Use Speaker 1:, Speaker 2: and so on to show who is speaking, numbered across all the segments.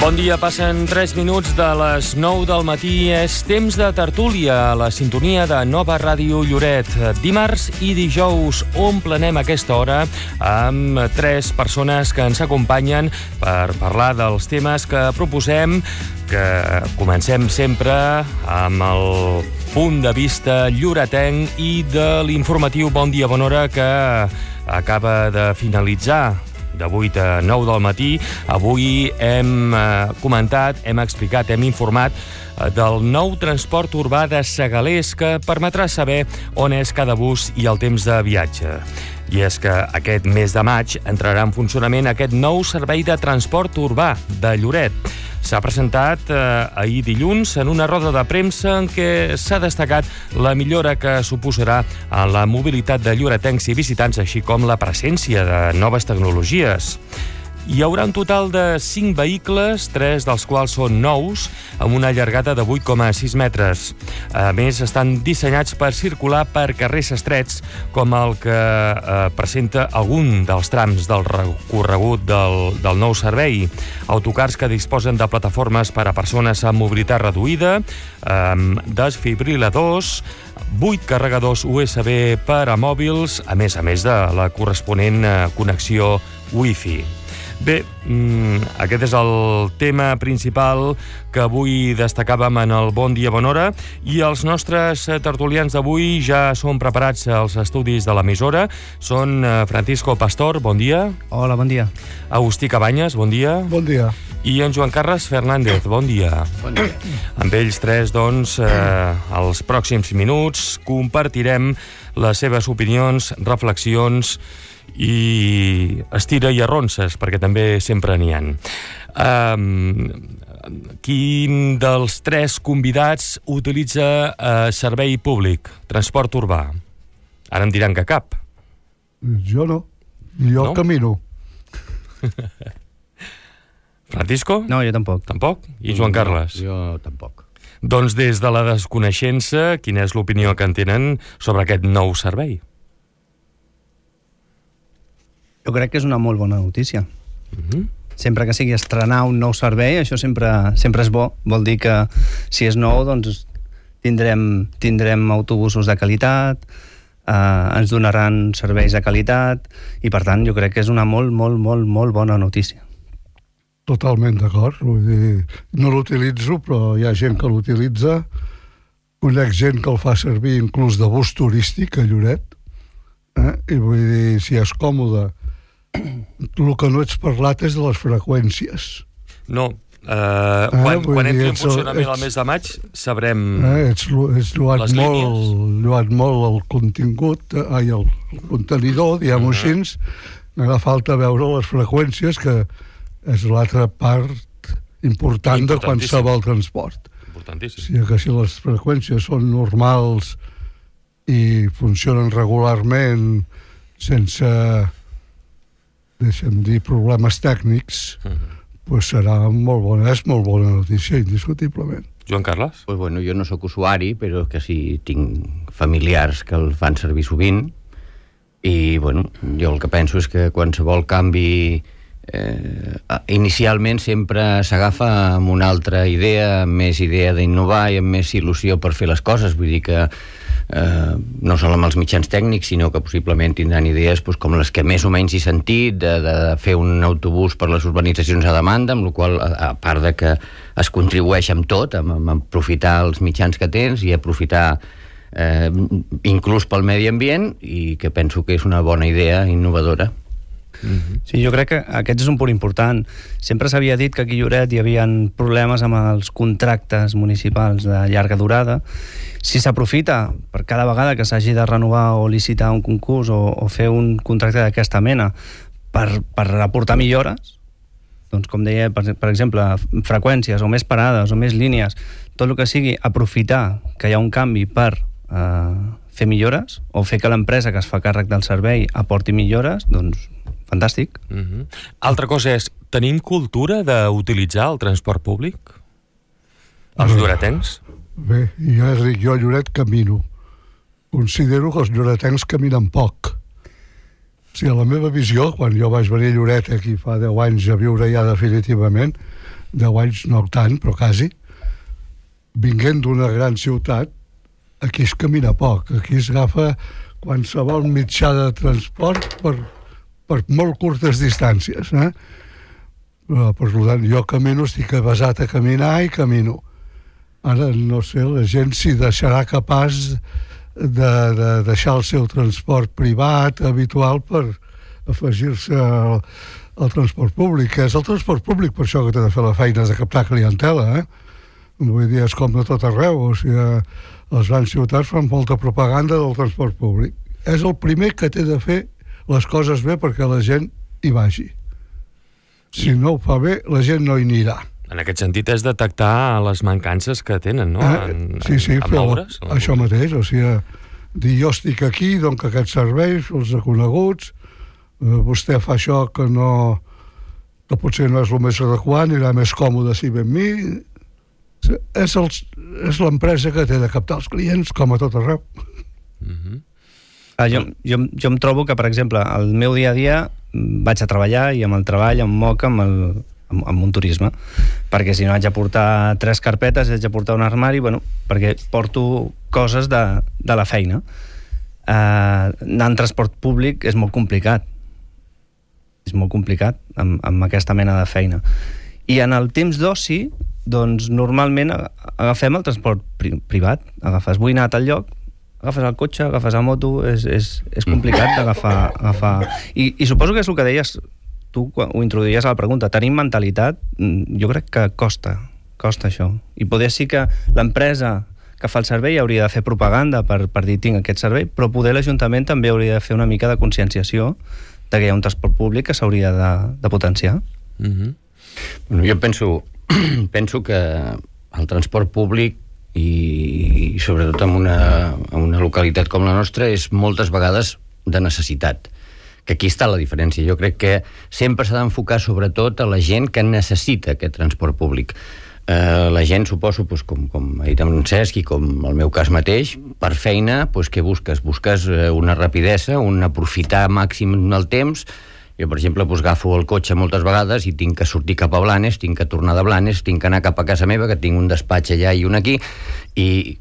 Speaker 1: Bon dia, passen 3 minuts de les 9 del matí. És temps de tertúlia a la sintonia de Nova Ràdio Lloret. Dimarts i dijous omplenem aquesta hora amb 3 persones que ens acompanyen per parlar dels temes que proposem, que comencem sempre amb el punt de vista lloretenc i de l'informatiu Bon dia, bona hora, que acaba de finalitzar de 8 a 9 del matí. Avui hem comentat, hem explicat, hem informat del nou transport urbà de Segalers, que permetrà saber on és cada bus i el temps de viatge. I és que aquest mes de maig entrarà en funcionament aquest nou servei de transport urbà de Lloret. S'ha presentat ahir dilluns en una roda de premsa en què s'ha destacat la millora que suposarà en la mobilitat de lloretencs i visitants, així com la presència de noves tecnologies. Hi haurà un total de 5 vehicles, 3 dels quals són nous, amb una llargada de 8,6 metres. A més, estan dissenyats per circular per carrers estrets, com el que presenta algun dels trams del recorregut del nou servei. Autocars que disposen de plataformes per a persones amb mobilitat reduïda, desfibriladors, 8 carregadors USB per a mòbils, a més de la corresponent connexió Wi-Fi. Bé, aquest és el tema principal que avui destacàvem en el Bon dia, bona hora, i els nostres tertulians d'avui ja són preparats als estudis de l'emissora. Són Francisco Pastor, bon dia.
Speaker 2: Hola, bon dia.
Speaker 1: Agustí Cabanyes, bon dia.
Speaker 3: Bon dia.
Speaker 1: I en Joan Carles Fernández, bon dia.
Speaker 2: Bon dia.
Speaker 1: Amb ells tres, doncs, els pròxims minuts compartirem les seves opinions, reflexions i estira i arronses, perquè també sempre n'hi ha. Quin dels 3 convidats utilitza servei públic, transport urbà? Ara em diran que cap.
Speaker 3: Jo no. Jo no? Camino.
Speaker 1: Francisco?
Speaker 2: No, jo tampoc.
Speaker 1: Tampoc? I Joan Carles?
Speaker 4: Jo tampoc.
Speaker 1: Doncs des de la desconeixença, quina és l'opinió que en tenen sobre aquest nou servei?
Speaker 2: Jo crec que és una molt bona notícia. Sempre que sigui estrenar un nou servei, això sempre és bo. Vol dir que si és nou, doncs tindrem autobusos de qualitat, ens donaran serveis de qualitat, i per tant jo crec que és una molt bona notícia.
Speaker 3: Totalment d'acord. Vull dir, no l'utilitzo, però hi ha gent que l'utilitza. Conec gent que el fa servir inclús de bus turístic a Lloret. I vull dir, si és còmode. El que no ets parlat és de les freqüències.
Speaker 1: No. Quan entri en funcionament el mes de maig sabrem
Speaker 3: ets lloat molt el contingut, el contenidor, diguem-ho així. M'ha falta veure les freqüències, que és l'altra part important de qualsevol transport.
Speaker 1: Importantíssim.
Speaker 3: O sigui que si les freqüències són normals i funcionen regularment sense, deixa'm dir, problemes tècnics, doncs serà molt bona, és molt bona notícia, indiscutiblement.
Speaker 1: Joan Carles?
Speaker 4: Pues bueno, jo no sóc usuari, però que sí tinc familiars que el fan servir sovint, i bueno, jo el que penso és que qualsevol canvi inicialment sempre s'agafa amb una altra idea, amb més idea d'innovar i amb més il·lusió per fer les coses. Vull dir que no sol amb els mitjans tècnics, sinó que possiblement tindran idees com les que més o menys he sentit, de fer un autobús per les urbanitzacions a demanda, amb la qual, a part de que es contribueix amb tot, amb aprofitar els mitjans que tens i aprofitar inclús pel medi ambient, i que penso que és una bona idea innovadora.
Speaker 2: Sí, jo crec que aquest és un punt important. Sempre s'havia dit que aquí a Lloret hi havia problemes amb els contractes municipals de llarga durada. Si s'aprofita per cada vegada que s'hagi de renovar o licitar un concurs o fer un contracte d'aquesta mena per aportar millores, doncs com deia, per exemple, freqüències o més parades o més línies, tot el que sigui aprofitar que hi ha un canvi per fer millores o fer que l'empresa que es fa càrrec del servei aporti millores, doncs fantàstic.
Speaker 1: Altra cosa és, tenim cultura d'utilitzar el transport públic? Els lloretencs?
Speaker 3: Bé, ja dic, jo a Lloret camino. Considero que els lloretencs caminen poc. O sigui, a la meva visió, quan jo vaig venir a Lloret aquí fa 10 anys a viure ja definitivament, 10 anys no tant, però quasi, vinguent d'una gran ciutat, aquí es camina poc, aquí es agafa qualsevol mitjà de transport per molt curtes distàncies, per tant, jo camino, estic avasat a caminar i camino. Ara, no sé, la gent s'hi deixarà capaç de deixar el seu transport privat habitual per afegir-se al transport públic, que és el transport públic per això que té de fer la feina de captar clientela, Vull dir, és com de tot arreu, o sigui, les grans ciutats fan molta propaganda del transport públic. És el primer que té de fer les coses bé perquè la gent hi vagi. Si no ho fa bé, la gent no hi anirà.
Speaker 1: En aquest sentit és detectar les mancances que tenen, no?
Speaker 3: Sí,
Speaker 1: moure's,
Speaker 3: això mateix, o sigui, dir jo estic aquí, dono aquests serveis, els coneguts, vostè fa això que potser no és el més adequat, anirà més còmode si ve amb mi. És l'empresa que té de captar els clients, com a tot arreu.
Speaker 2: Jo em trobo que, per exemple, el meu dia a dia vaig a treballar i amb el treball em moc amb un turisme, perquè si no haig de portar 3 carpetes, haig de portar un armari, perquè porto coses de la feina. Anar en transport públic és molt complicat. És molt complicat amb aquesta mena de feina. I en el temps d'oci, doncs normalment agafem el transport privat. Vull anar a tal lloc, agafes el cotxe, agafes la moto, és complicat d'agafar. I suposo que és el que deies, tu ho introduïes a la pregunta, tenim mentalitat, jo crec que costa això. I poder sí que l'empresa que fa el servei hauria de fer propaganda per dir tinc aquest servei, però poder l'Ajuntament també hauria de fer una mica de conscienciació de que hi ha un transport públic que s'hauria de potenciar.
Speaker 4: Bueno, jo penso que el transport públic i sobretot en una localitat com la nostra és moltes vegades de necessitat, que aquí està la diferència. Jo crec que sempre s'ha d'enfocar sobretot a la gent que necessita aquest transport públic. La gent, suposo, com ha dit en Cesc i com el meu cas mateix, per feina, què busques? Busques una rapidesa, un aprofitar màxim el temps. Jo, per exemple, agafo el cotxe moltes vegades i tinc que sortir cap a Blanes, tinc que tornar de Blanes, tinc que anar cap a casa meva, que tinc un despatx allà i un aquí, i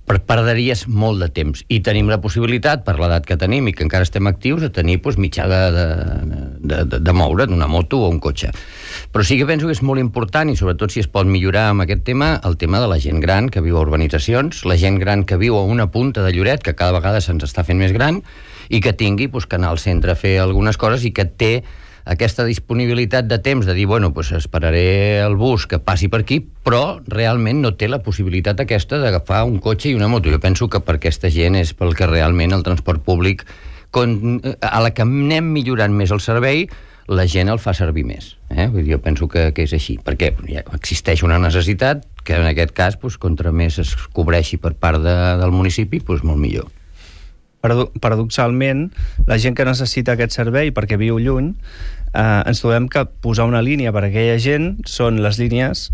Speaker 4: perderies molt de temps. I tenim la possibilitat, per l'edat que tenim i que encara estem actius, de tenir mitjà de moure d'una moto o un cotxe. Però sí que penso que és molt important, i sobretot si es pot millorar amb aquest tema, el tema de la gent gran que viu a urbanitzacions, la gent gran que viu a una punta de Lloret, que cada vegada se'ns està fent més gran, i que tingui que anar al centre a fer algunes coses i que té aquesta disponibilitat de temps de dir, esperaré el bus que passi per aquí, però realment no té la possibilitat aquesta d'agafar un cotxe i una moto. Jo penso que per aquesta gent és pel que realment el transport públic, a la que anem millorant més el servei, la gent el fa servir més. Jo penso que és així, perquè ja existeix una necessitat que en aquest cas, contra més es cobreixi per part del municipi, molt millor.
Speaker 2: Paradoxalment, la gent que necessita aquest servei perquè viu lluny, ens trobem que posar una línia per a aquella gent són les línies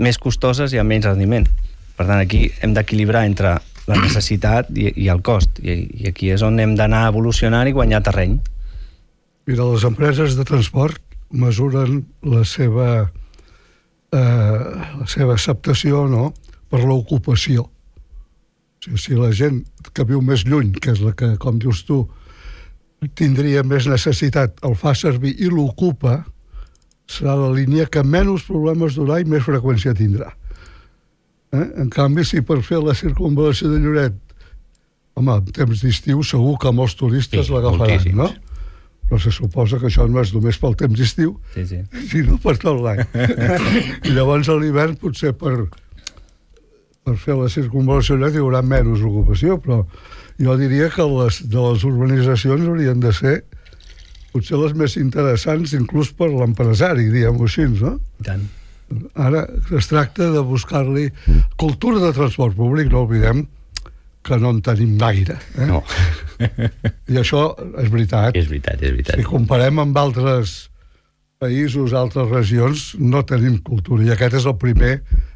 Speaker 2: més costoses i amb menys rendiment. Per tant, aquí hem d'equilibrar entre la necessitat i el cost, i aquí és on hem d'anar evolucionant i guanyar terreny.
Speaker 3: Mira, les empreses de transport mesuren la seva acceptació per l'ocupació. Si la gent que viu més lluny, que és la que, com dius tu, tindria més necessitat, el fa servir i l'ocupa, serà la línia que menys problemes durà i més freqüència tindrà. En canvi, si per fer la circunvalació de Lloret, en temps d'estiu segur que molts turistes l'agafaran, no? Però se suposa que això no és només pel temps d'estiu, sinó per tot l'any. I llavors a l'hivern potser per fer la circunvalació hi haurà menys ocupació, però jo diria que de les urbanitzacions haurien de ser potser les més interessants, inclús per l'empresari, diguem-ho així, no?
Speaker 2: Tant.
Speaker 3: Ara es tracta de buscar-li cultura de transport públic, no oblidem que no en tenim gaire.
Speaker 4: No.
Speaker 3: I això és veritat.
Speaker 4: És veritat.
Speaker 3: Si comparem amb altres països, altres regions, no tenim cultura, i aquest és el primer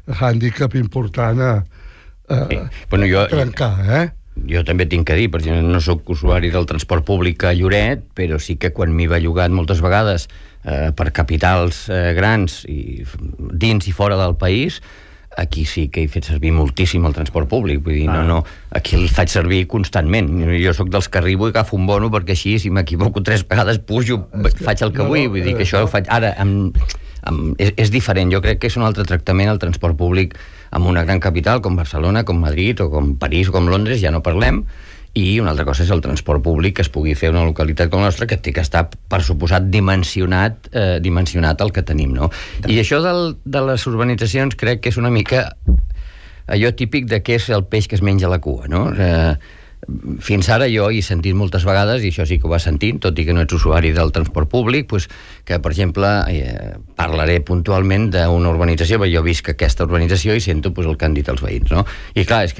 Speaker 3: hàndicap important a trencar,
Speaker 4: Jo també tinc que dir, perquè no soc usuari del transport públic a Lloret, però sí que quan m'hi he bellugat moltes vegades per capitals grans i dins i fora del país, aquí sí que he fet servir moltíssim el transport públic, vull dir, aquí el faig servir constantment. Jo sóc dels que arribo i agafo un bono perquè així, si m'equivoco 3 vegades, pujo, faig el que vull dir que això ho faig... Ara, és diferent, jo crec que és un altre tractament el transport públic en una gran capital com Barcelona, com Madrid, o com París, o com Londres, ja no parlem, i una altra cosa és el transport públic que es pugui fer en una localitat com la nostra, que té que estar, per suposat, dimensionat el que tenim, no? I això de les urbanitzacions crec que és una mica allò típic de què és el peix que es menja la cua, no? Fins ara jo he sentit moltes vegades, i això sí que ho vas sentint, tot i que no ets usuari del transport públic, pues, que, per exemple, parlaré puntualment d'una urbanització, perquè jo visc aquesta urbanització i sento pues, el que han dit els veïns, no? I clar, és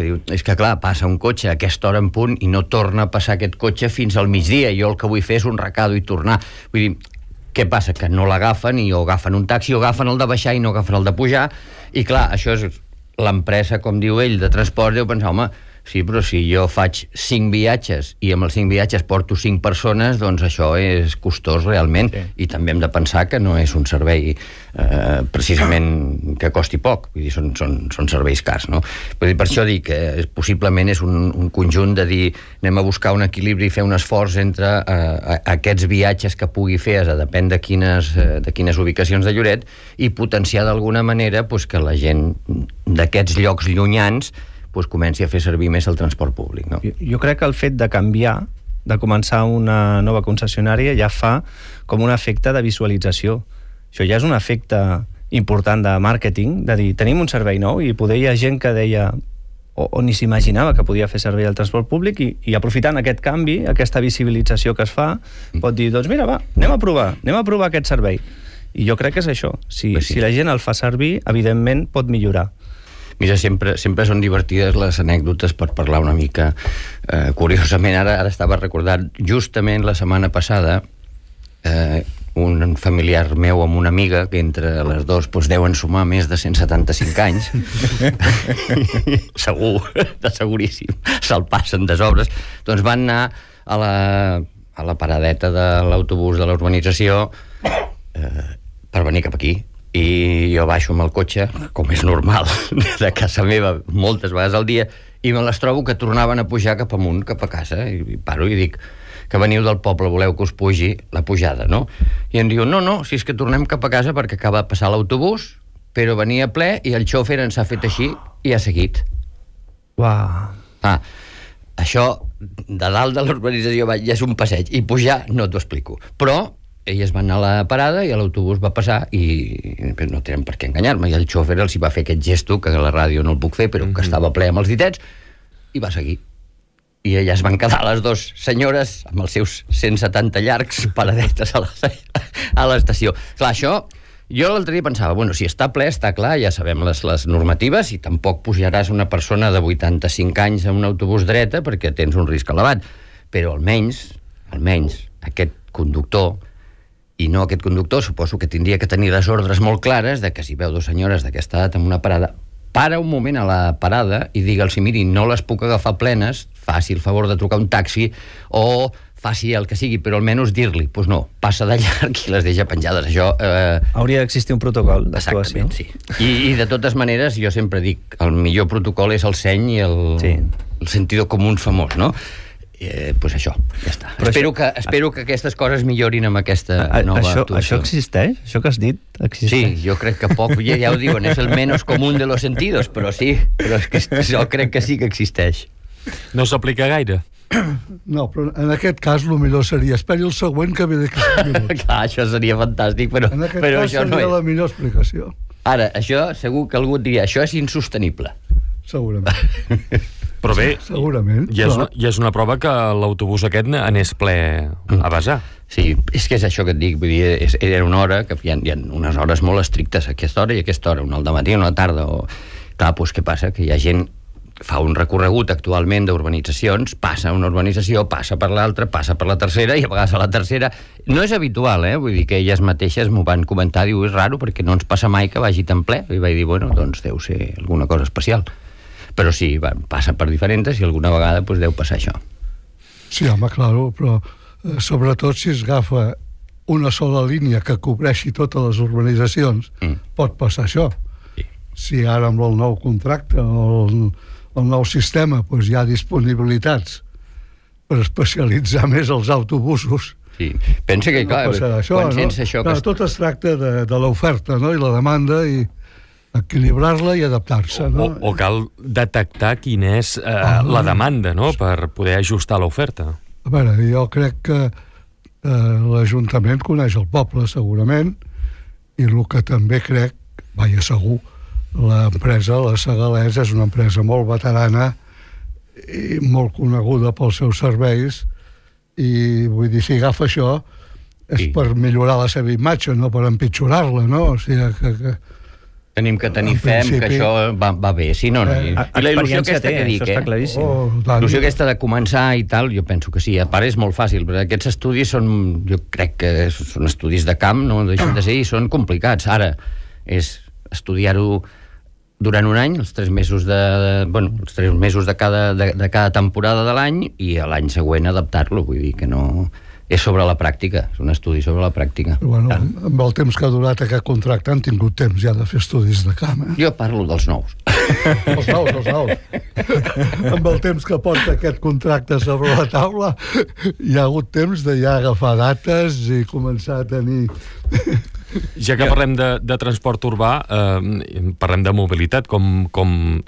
Speaker 4: que clar, passa un cotxe a aquesta hora en punt i no torna a passar aquest cotxe fins al migdia. Jo el que vull fer és un recado i tornar. Vull dir, què passa? Que no l'agafen i o agafen un taxi o agafen el de baixar i no agafen el de pujar. I clar, això és l'empresa, com diu ell, de transport, deu pensar, home, sí, però si jo faig 5 viatges i amb els 5 viatges porto 5 persones, doncs això és costós realment, sí. I també hem de pensar que no és un servei precisament que costi poc, vull dir, són serveis cars, no? Vull dir, per això dic que possiblement és un conjunt de dir anem a buscar un equilibri i fer un esforç entre aquests viatges que pugui fer, depèn de quines ubicacions de Lloret, i potenciar d'alguna manera pues, que la gent d'aquests llocs llunyans pues, comenci a fer servir més el transport públic, no?
Speaker 2: Jo crec que el fet de canviar, de començar una nova concessionària, ja fa com un efecte de visualització. Això ja és un efecte important de màrqueting, de dir, tenim un servei nou, i poder hi ha gent que deia o ni s'imaginava que podia fer servir el transport públic, i aprofitant aquest canvi, aquesta visibilització que es fa, pot dir, doncs mira, va, anem a provar aquest servei. I jo crec que és això. Si la gent el fa servir, evidentment pot millorar.
Speaker 4: Mira, sempre són divertides les anècdotes per parlar una mica. Curiosament, ara estava recordant, justament la setmana passada, un familiar meu amb una amiga, que entre les dos doncs, deuen sumar més de 175 anys, seguríssim, se'l passen de sobres, doncs van anar a la paradeta de l'autobús de la urbanització per venir cap aquí. I jo baixo amb el cotxe, com és normal, de casa meva moltes vegades al dia, i me les trobo que tornaven a pujar cap amunt, cap a casa, i paro i dic que veniu del poble, voleu que us pugi la pujada, no? I em diu, no, si és que tornem cap a casa perquè acaba de passar l'autobús, però venia ple i el xòfer ens ha fet així i ha seguit.
Speaker 2: Uau.
Speaker 4: Això de dalt de l'urbanització ja és un passeig, i pujar no t'ho explico, però elles van anar a la parada i l'autobús va passar i no tenen per què enganyar-me, i el xòfer els hi va fer aquest gesto que a la ràdio no el puc fer, però que estava ple amb els ditets, i va seguir. I elles van quedar, les dues senyores, amb els seus 170 llargs paradetes a l'estació. Clar, això, jo l'altre dia pensava, bueno, si està ple, està clar, ja sabem les normatives, i tampoc pujaràs una persona de 85 anys a un autobús dreta perquè tens un risc elevat, però almenys aquest conductor, i no aquest conductor, suposo que tindria que tenir les ordres molt clares de que si veu dues senyores d'aquesta edat en una parada, para un moment a la parada i digue'ls, miri, no les puc agafar plenes, faci el favor de trucar un taxi o faci el que sigui, però almenys dir-li, doncs no, passa de llarg i les deixa penjades. Això...
Speaker 2: hauria d'existir un protocol d'actuació.
Speaker 4: Exactament, sí. I de totes maneres, jo sempre dic, el millor protocol és el seny i el sentido común famós, no? Pues això, ja està. Espero que aquestes coses millorin amb aquesta nova actuació.
Speaker 2: Això existeix? Això que has dit existeix?
Speaker 4: Sí, jo crec que poc, ja ho diuen, és el menos común de los sentidos, però sí, però és que jo crec que sí que existeix.
Speaker 1: No s'aplica gaire?
Speaker 3: No, però en aquest cas el millor seria esperi el següent que ve d'aquí 5 minuts.
Speaker 4: Clar, això seria fantàstic, però
Speaker 3: en aquest cas
Speaker 4: això
Speaker 3: seria la millor explicació.
Speaker 4: Ara, això segur que algú et diria, això és insostenible.
Speaker 3: Segurament.
Speaker 1: Però bé,
Speaker 3: segurament,
Speaker 1: ja és una prova que l'autobús aquest anés ple a basar.
Speaker 4: Sí, és que és això que et dic, vull dir, era una hora, que hi ha unes hores molt estrictes, aquesta hora i aquesta hora, una al dematí, una a la tarda, clar, doncs què passa? Que hi ha gent que fa un recorregut actualment d'urbanitzacions, passa una urbanització, passa per l'altra, passa per la tercera, i a vegades a la tercera... No és habitual, vull dir que elles mateixes m'ho van comentar, diu, és raro, perquè no ens passa mai que vagi tan ple, i vaig dir, bueno, doncs deu ser alguna cosa especial. Però sí, passa per diferents i alguna vegada doncs, deu passar això.
Speaker 3: Sí, home, claro, però sobretot si es agafa una sola línia que cobreixi totes les urbanitzacions, pot passar això. Si ara amb el nou contracte o el nou sistema hi ha disponibilitats per especialitzar més els autobusos,
Speaker 4: sí. Pensa que, clar, quan sents això...
Speaker 3: Tot es tracta de l'oferta, no?, i la demanda, i equilibrar-la i adaptar-se, no?
Speaker 1: O cal detectar quina és la demanda, no?, per poder ajustar l'oferta.
Speaker 3: A veure, jo crec que l'Ajuntament coneix el poble, segurament, i el que també crec, segur, l'empresa, la Segalès, és una empresa molt veterana i molt coneguda pels seus serveis, i vull dir, si agafa això és per millorar la seva imatge, no per empitjorar-la, no? O sigui que
Speaker 4: tenim que tenir fe que això va bé, si no... I la il·lusió aquesta que dic, l'il·lusió aquesta de començar i tal, jo penso que sí, a part és molt fàcil, però aquests estudis són, jo crec que són estudis de camp, no deixen de ser, i són complicats. Ara és estudiar-ho durant un any, els 3 mesos els 3 mesos de cada temporada de l'any, i a l'any següent adaptar-lo, vull dir que no... És sobre la pràctica, és un estudi sobre la pràctica.
Speaker 3: Bueno, amb el temps que ha durat aquest contracte han tingut temps ja de fer estudis de camp, eh?
Speaker 4: Jo parlo dels nous.
Speaker 3: Els nous. Amb el temps que porta aquest contracte sobre la taula, hi ha hagut temps de ja agafar dates i començar a tenir...
Speaker 1: Ja que parlem de transport urbà, parlem de mobilitat,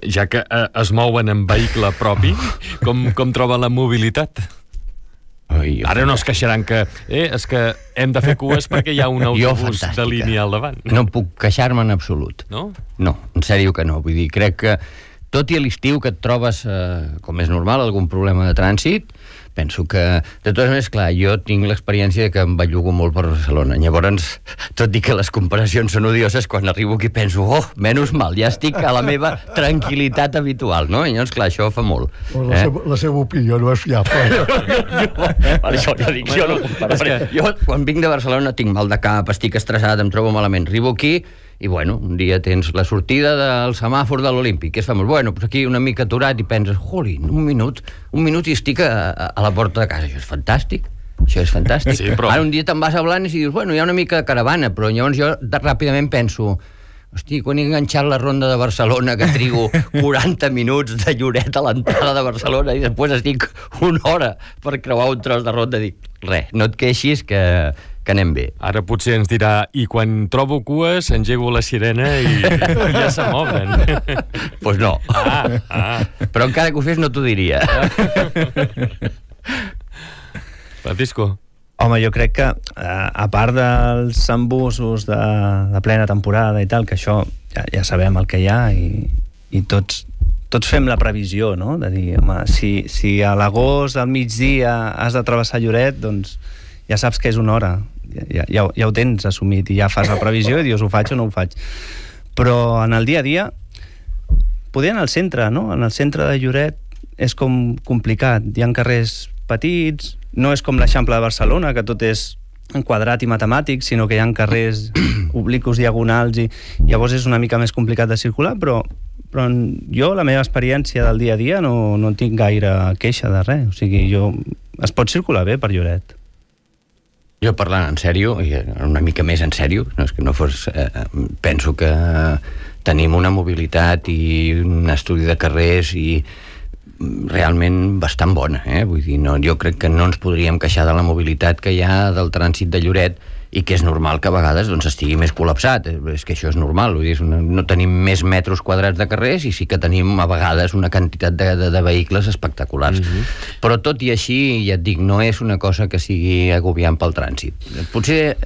Speaker 1: ja que es mouen en vehicle propi, com troba la mobilitat? Ara no es queixaran que és que hem de fer cues perquè hi ha un autobús de línia al davant.
Speaker 4: No puc queixar-me en absolut.
Speaker 1: No?
Speaker 4: No, en sèrio que no. Vull dir, crec que tot i a l'estiu que et trobes, com és normal, algun problema de trànsit, penso que, de totes maneres, clar, jo tinc l'experiència que em bellugo molt per Barcelona. Llavors, tot i que les comparacions són odioses, quan arribo aquí penso, menys mal, ja estic a la meva tranquil·litat habitual, no? I llavors, clar, això fa molt.
Speaker 3: La seva opinió no és fiable.
Speaker 4: Això ja dic, jo no compararé. Jo, quan vinc de Barcelona, tinc mal de cap, estic estressat, em trobo malament. Arribo aquí i, bueno, un dia tens la sortida del semàfor de l'Olímpic, que és famós. Bueno, doncs aquí una mica aturat i penses, jolín, un minut i estic a la porta de casa. Això és fantàstic. Sí, però... Ara un dia te'n vas a Blanes i dius, bueno, hi ha una mica de caravana, però llavors jo ràpidament penso, hosti, quan he enganxat la ronda de Barcelona, que trigo 40 minuts de Lloret a l'entrada de Barcelona i després estic una hora per creuar un tros de ronda, dic, res, no et queixis que anem bé.
Speaker 1: Ara potser ens dirà, i quan trobo cues engego la sirena i ja se mouen.
Speaker 4: Pues no. Però encara que ho fes no t'ho diria.
Speaker 1: Francisco.
Speaker 2: Home, jo crec que, a part dels embussos de plena temporada i tal, que això ja sabem el que hi ha i tots fem la previsió, no?, de dir, home, si a l'agost al migdia has de travessar Lloret, doncs ja saps que és una hora, ja ho tens assumit i ja fas la previsió i dius, ho faig o no ho faig. Però en el dia a dia, poder anar al centre, no? En el centre de Lloret és com complicat, hi ha carrers petits, no és com l'Eixample de Barcelona, que tot és quadrat i matemàtic, sinó que hi ha carrers obliqus, diagonals, i llavors és una mica més complicat de circular, però jo, la meva experiència del dia a dia, no tinc gaire queixa de res. O sigui, es pot circular bé per Lloret.
Speaker 4: Jo parlant en sèrio, i una mica més en sèrio, no és que no fos... penso que tenim una mobilitat i un estudi de carrers i realment bastant bona, vull dir, jo crec que no ens podríem queixar de la mobilitat que hi ha del trànsit de Lloret i que és normal que a vegades estigui més col·lapsat, és que això és normal, vull dir, no tenim més metres quadrats de carrers i sí que tenim a vegades una quantitat de vehicles espectaculars. Però tot i així, ja et dic, no és una cosa que sigui agobiant pel trànsit. Potser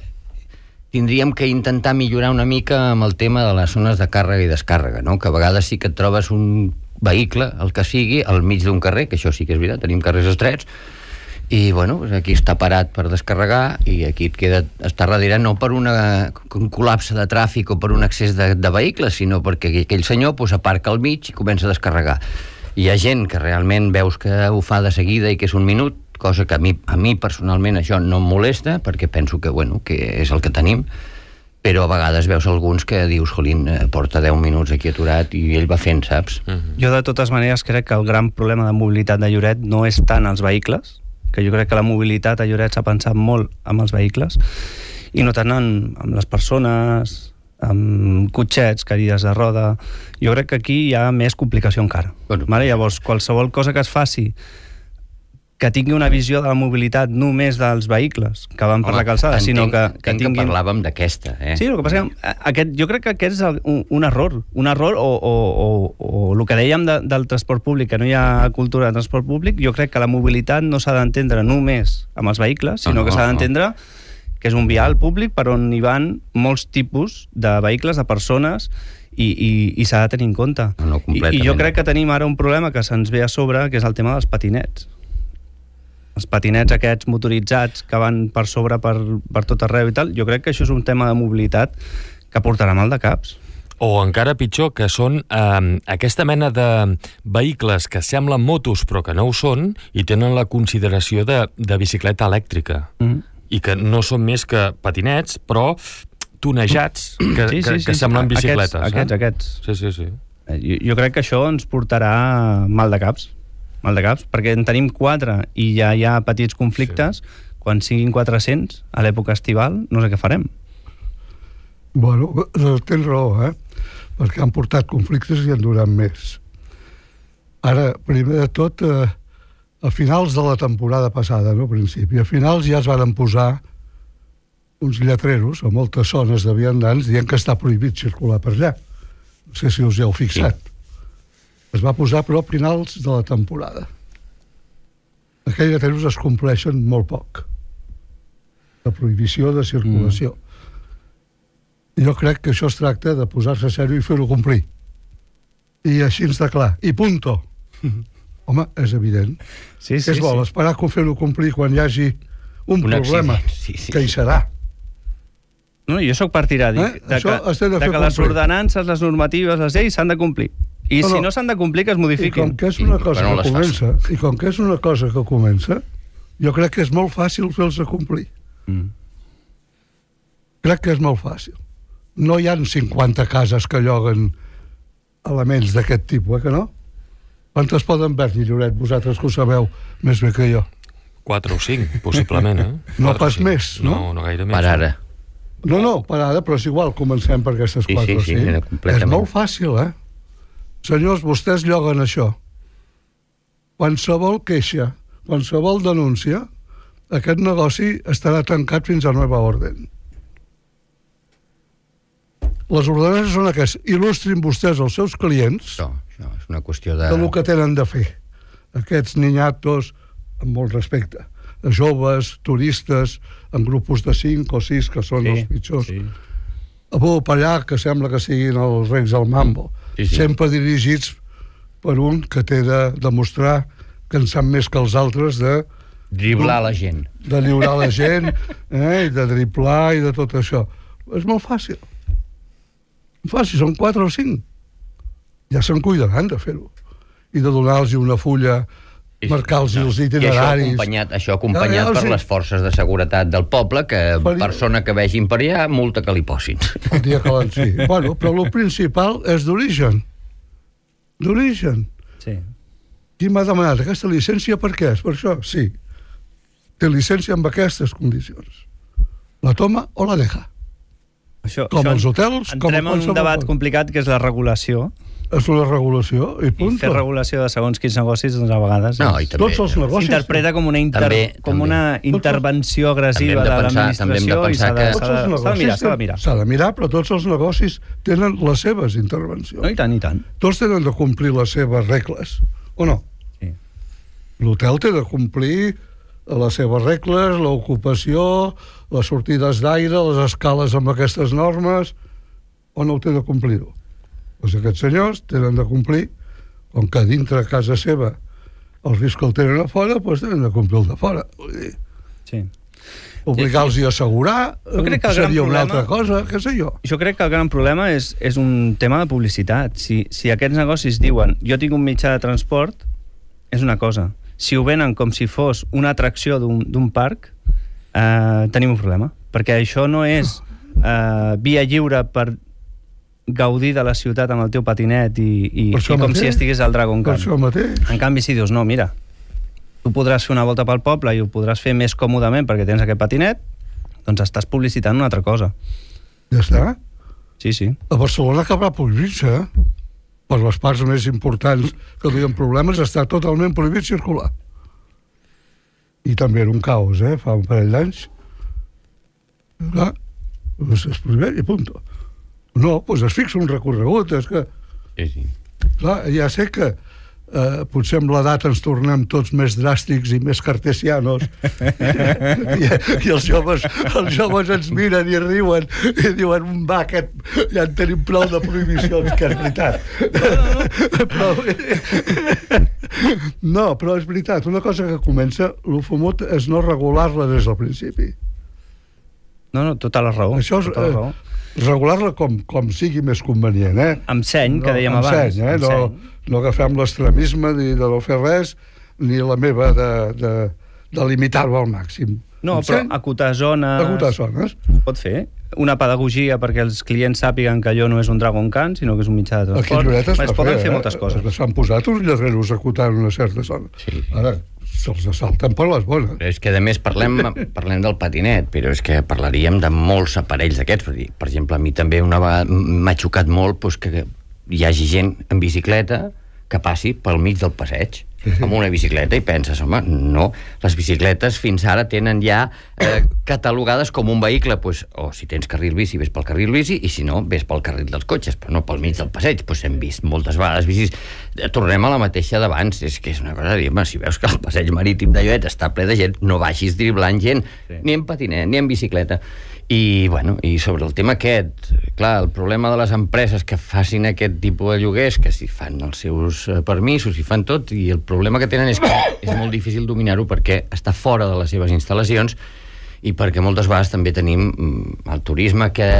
Speaker 4: tindríem que intentar millorar una mica amb el tema de les zones de càrrega i descàrrega, no? Que a vegades sí que et trobes un vehicle, el que sigui, al mig d'un carrer, que això sí que és veritat, tenim carrers estrets, i bueno, aquí està parat per descarregar i aquí et queda, està darrere no per un col·lapse de tràfic o per un excés de vehicles, sinó perquè aquell senyor aparca al mig i comença a descarregar. Hi ha gent que realment veus que ho fa de seguida i que és un minut, cosa que a mi personalment això no em molesta, perquè penso que, bueno, que és el que tenim, però a vegades veus alguns que dius, jolín, porta 10 minuts aquí aturat i ell va fent, saps?
Speaker 2: Jo de totes maneres crec que el gran problema de mobilitat de Lloret no és tant els vehicles, que jo crec que la mobilitat a Lloret s'ha pensat molt amb els vehicles, i no tant amb les persones, amb cotxets, cadires de roda. Jo crec que aquí hi ha més complicació encara. Vale? Llavors, qualsevol cosa que es faci que tingui una visió de la mobilitat només dels vehicles que van per la calçada, sinó que
Speaker 4: tinguin... que parlàvem d'aquesta,
Speaker 2: Sí, el que passa que jo crec que aquest és un error o el que dèiem del transport públic, que no hi ha cultura de transport públic. Jo crec que la mobilitat no s'ha d'entendre només amb els vehicles, sinó que s'ha d'entendre que és un vial públic per on hi van molts tipus de vehicles, de persones, i s'ha de tenir en compte. I jo crec que tenim ara un problema que se'ns ve a sobre, que és el tema dels patinets. Els patinets aquests motoritzats que van per sobre per tot arreu i tal, jo crec que això és un tema de mobilitat que portarà mal de caps.
Speaker 1: O encara pitjor, que són aquesta mena de vehicles que semblen motos però que no ho són i tenen la consideració de bicicleta elèctrica. I que no són més que patinets, però tonejats que semblen bicicletes.
Speaker 2: Aquests.
Speaker 1: Sí.
Speaker 2: Jo crec que això ens portarà mal de caps, perquè en tenim 4 i ja hi ha petits conflictes. Quan siguin 400 a l'època estival, no sé què farem.
Speaker 3: Bueno, tens raó, perquè han portat conflictes i han durat més. Ara, primer de tot, a finals de la temporada passada, no, a principi, a finals ja es van posar uns lletreros a moltes zones de viandants dient que està prohibit circular per allà. No sé si us hi heu fixat. Sí. Es va posar, però, a finals de la temporada. Aquells lletreros es compleixen molt poc. La prohibició de circulació. Jo crec que això es tracta de posar-se a sèrio i fer-ho complir. I així ens de clar. I punto. Home, és evident.
Speaker 2: Sí,
Speaker 3: què es vol? Esperar que fer-ho complir quan hi hagi un problema, que hi serà.
Speaker 2: No, jo sóc partidari de que les ordenances, les normatives, les lleis s'han de complir. I si no s'han de complir, que es modifiquin.
Speaker 3: I com que és una cosa que comença, jo crec que és molt fàcil fer-los complir. Crec que és molt fàcil. No hi ha 50 cases que lloguen elements d'aquest tipus, que no? Quantes poden haver-hi, Lloret, vosaltres que ho sabeu més bé que jo?
Speaker 1: 4 o 5, possiblement,
Speaker 3: No pas més, no?
Speaker 1: No gaire més.
Speaker 4: Per ara.
Speaker 3: No, per ara, però és igual, comencem per aquestes 4 o 5. És molt fàcil, Senyors, vostès lloguen això. Qualsevol queixa, qualsevol denúncia, aquest negoci estarà tancat fins a nova orden. Les ordenances són aquestes. Il·lustrin vostès els seus clients
Speaker 4: això és una qüestió de
Speaker 3: lo que tenen de fer. Aquests niñatos, amb molt respecte, joves, turistes, en grupos de 5 o 6, que són els pitjors. Per allà, que sembla que siguin els reis del mambo. Sempre dirigits per un que té de demostrar que en sap més que els altres de
Speaker 4: driblar la gent.
Speaker 3: De lliurar la gent, i de driblar i de tot això. És molt fàcil. Són 4 o 5. Ja se'n cuidaran de fer-ho. I de donar-los una fulla, marcar-los els itineraris.
Speaker 4: I això acompanyat per les forces de seguretat del poble, que persona que vegin per allà, multa que li posin.
Speaker 3: El dia que sí. Bueno, però el principal és d'origen. D'origen.
Speaker 2: Sí.
Speaker 3: Qui m'ha demanat aquesta llicència per què? És per això? Sí. Té llicència amb aquestes condicions. La toma o la deja. Com els hotels, com
Speaker 2: entrem en un debat complicat que és la regulació.
Speaker 3: És una regulació i punt.
Speaker 2: I fer regulació de segons quins negocis, doncs a vegades
Speaker 3: tots els negocis
Speaker 2: s'interpreta com una intervenció agressiva de l'administració i s'ha de mirar.
Speaker 3: S'ha de mirar, però tots els negocis tenen les seves intervencions.
Speaker 2: No, i tant, i tant.
Speaker 3: Tots tenen de complir les seves regles, o no?
Speaker 2: Sí.
Speaker 3: L'hotel té de complir les seves regles, l'ocupació, les sortides d'aire, les escales amb aquestes normes, o no ho té de complir-ho? Doncs aquests senyors tenen de complir, com que dintre a casa seva els riscs que el tenen a fora, doncs tenen de complir el de fora.
Speaker 2: Sí.
Speaker 3: Obligar-los a assegurar seria una altra cosa, què sé jo.
Speaker 2: Jo crec que el gran problema és un tema de publicitat. Si aquests negocis diuen jo tinc un mitjà de transport, és una cosa. Si ho venen com si fos una atracció d'un parc, tenim un problema. Perquè això no és via lliure per gaudir de la ciutat amb el teu patinet i com si estigués al Dragon Khan. En canvi, si dius, no, mira, tu podràs fer una volta pel poble i ho podràs fer més còmodament perquè tens aquest patinet, doncs estàs publicitant una altra cosa.
Speaker 3: Ja està.
Speaker 2: Sí, sí.
Speaker 3: A Barcelona acabarà prohibint-se, per les parts més importants que tenen problemes, està totalment prohibit circular. I també era un caos, fa un parell d'anys. Clar, doncs es prohibeix i punt. No, doncs es fixa un recorregut, és que...
Speaker 4: Sí.
Speaker 3: Clar, ja sé que potser amb l'edat ens tornem tots més dràstics i més cartesianos i els joves ens miren i riuen i diuen, va, ja en tenim prou de prohibicions, que és veritat. Però és veritat, una cosa que comença el fumut és no regular-la des del principi.
Speaker 2: No, tota la raó.
Speaker 3: Això és
Speaker 2: tota la raó.
Speaker 3: Regular-la com sigui més convenient,
Speaker 2: Amb seny, que dèiem abans.
Speaker 3: No agafem l'extremisme de no fer res, ni la meva de limitar-ho al màxim.
Speaker 2: No, però acotar zones...
Speaker 3: Acotar zones.
Speaker 2: Pot fer. Una pedagogia perquè els clients sàpiguen que allò no és un Dragon Khan, sinó que és un mitjà de transport.
Speaker 3: Aquí a Lloret
Speaker 2: es poden fer moltes coses.
Speaker 3: S'han posat uns lletreros acotant una certa zona.
Speaker 4: Sí.
Speaker 3: Ara, se'ls assalten per les bones.
Speaker 4: Però és que, a més, parlem del patinet, però és que parlaríem de molts aparells d'aquests. Per exemple, a mi també una vegada m'ha xocat molt que hi hagi gent en bicicleta que passi pel mig del passeig amb una bicicleta i penses, home, no, les bicicletes fins ara tenen ja catalogades com un vehicle, o si tens carril bici, ves pel carril bici, i si no, ves pel carril dels cotxes, però no pel mig del passeig. Hem vist moltes vegades bicis. Tornem a la mateixa d'abans, és que és una cosa de dir, si veus que el passeig marítim de Lloret està ple de gent, no vagis driblant gent, ni en patinet, ni en bicicleta. I sobre el tema aquest, clar, el problema de les empreses que facin aquest tipus de lloguers, que si fan els seus permisos, si fan tot, i el problema que tenen és que és molt difícil dominar-ho perquè està fora de les seves instal·lacions i perquè moltes vegades també tenim el turisme que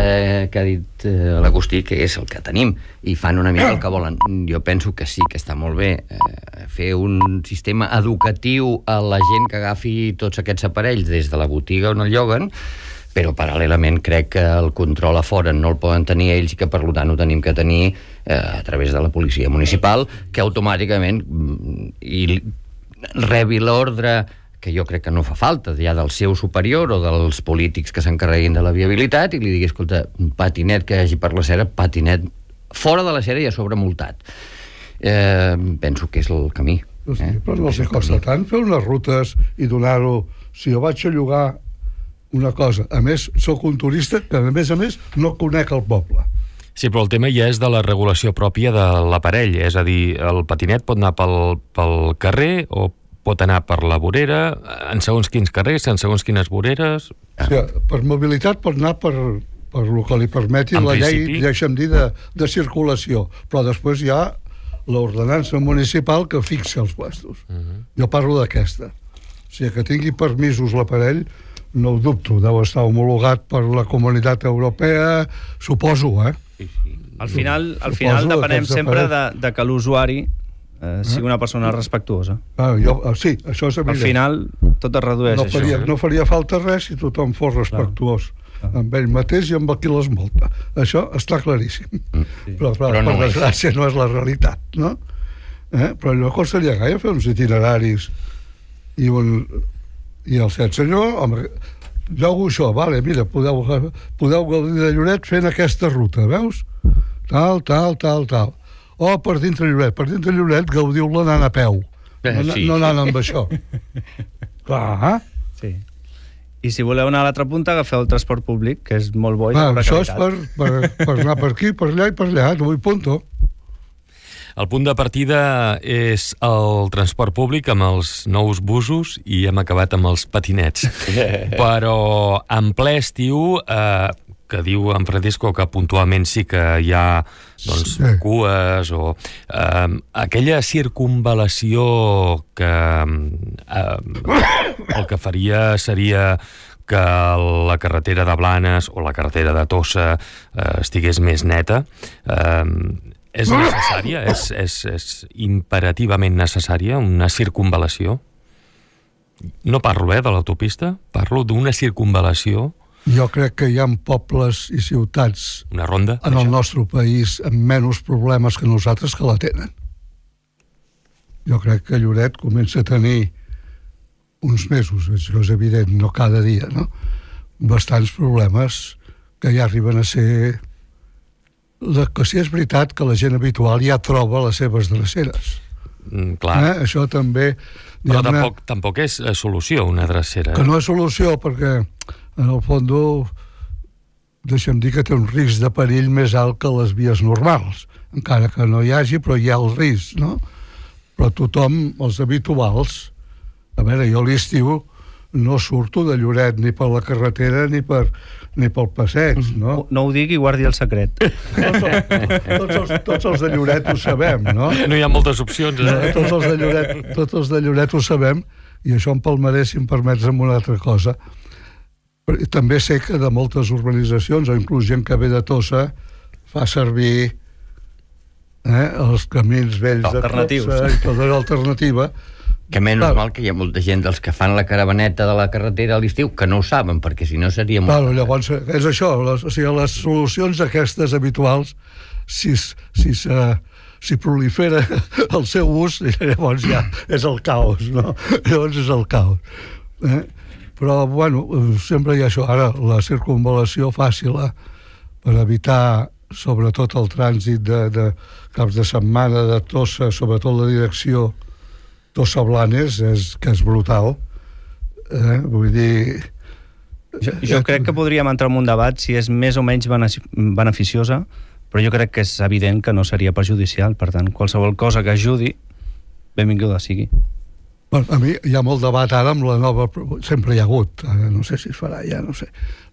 Speaker 4: ha dit l'Agustí, que és el que tenim, i fan una mica el que volen. Jo penso que sí, que està molt bé fer un sistema educatiu a la gent que agafi tots aquests aparells des de la botiga on el lloguen, però paral·lelament crec que el control a fora no el poden tenir ells i que per tant ho tenim que tenir a través de la policia municipal, que automàticament rebi l'ordre, que jo crec que no fa falta, ja del seu superior o dels polítics que s'encarreguin de la viabilitat, i li digui, escolta, patinet que hi hagi per la Cera, patinet fora de la Cera i a sobre multat. Penso que és el camí.
Speaker 3: Però no els costa tant fer unes rutes i donar-ho. Si jo vaig a llogar una cosa, a més, sóc un turista que a més no conec el poble.
Speaker 1: Sí, però el tema ja és de la regulació pròpia de l'aparell, és a dir, el patinet pot anar pel carrer o pot anar per la vorera, en segons quins carrers, en segons quines voreres...
Speaker 3: Sí, per mobilitat pot anar per el que li permeti la llei, deixa'm dir, de circulació, però després hi ha l'ordenança municipal que fixa els puestos. Jo parlo d'aquesta. O sigui, que tingui permisos l'aparell, no ho dubto, deu estar homologat per la Comunitat Europea, suposo,
Speaker 2: Al final depenem sempre de que l'usuari sigui una persona respectuosa.
Speaker 3: Sí, això és evident.
Speaker 2: Al final tot es redueix a això.
Speaker 3: No faria falta res si tothom fos respectuós amb ell mateix i amb el qui l'esmolta. Això està claríssim. Però per desgràcia no és la realitat, no? Però no costaria gaire fer uns itineraris i el set senyor, home, jo hago això, vale, mira, podeu gaudir de Lloret fent aquesta ruta, veus? Tal. O per dintre Lloret gaudiu-la anant a peu, no anant amb això. Clar.
Speaker 2: Sí. I si voleu anar a l'altra punta, agafeu el transport públic, que és molt bo i de bona
Speaker 3: qualitat. Això és per anar per aquí, per allà i per allà, no vull punto.
Speaker 1: El punt de partida és el transport públic amb els nous busos i hem acabat amb els patinets. Però en ple estiu, que diu en Francisco que puntualment sí que hi ha cues o aquella circunvalació que el que faria seria que la carretera de Blanes o la carretera de Tossa estigués més neta. És necessària? És imperativament necessària una circunvalació? No parlo de l'autopista, parlo d'una circunvalació.
Speaker 3: Jo crec que hi ha pobles i ciutats
Speaker 1: una ronda,
Speaker 3: en el nostre país amb menys problemes que nosaltres que la tenen. Jo crec que Lloret comença a tenir uns mesos, això és evident, no cada dia, no? bastants problemes que ja arriben a ser... Que sí és veritat que la gent habitual ja troba les seves dreceres.
Speaker 1: Clar.
Speaker 3: Això també...
Speaker 1: Però tampoc és solució, una drecera.
Speaker 3: Que no és solució, perquè en el fons deixa'm dir que té un risc de perill més alt que les vies normals, encara que no hi hagi, però hi ha el risc, no? Però tothom, els habituals, a veure, jo a l'estiu no surto de Lloret ni per la carretera ni pel passeig, no?
Speaker 2: No ho digui i guardi el secret.
Speaker 3: Tots els de Lloret ho sabem, no?
Speaker 1: No hi ha moltes opcions, eh?
Speaker 3: Tots els de Lloret ho sabem, i això em palmaré, si em permets, amb una altra cosa. També sé que de moltes urbanitzacions, o inclús gent que ve de Tossa, fa servir els camins vells de Tossa i tota l'alternativa.
Speaker 4: Que menys mal que hi ha molta gent dels que fan la caravaneta de la carretera a l'estiu que no ho saben, perquè si no seria molt...
Speaker 3: Claro, llavors, és això, les solucions aquestes habituals, si prolifera el seu ús, llavors ja és el caos, no? Llavors és el caos. Però, bueno, sempre hi ha això. Ara, la circunvalació fàcil per evitar, sobretot el trànsit de caps de setmana, de Tossa, sobretot la direcció Tossa-Blanes, que és brutal. Vull dir...
Speaker 2: Jo crec que podríem entrar en un debat si és més o menys beneficiosa, però jo crec que és evident que no seria perjudicial. Per tant, qualsevol cosa que ajudi, benvinguda sigui.
Speaker 3: A mi hi ha molt debat ara amb la nova... Sempre hi ha hagut, no sé si es farà ja, no sé,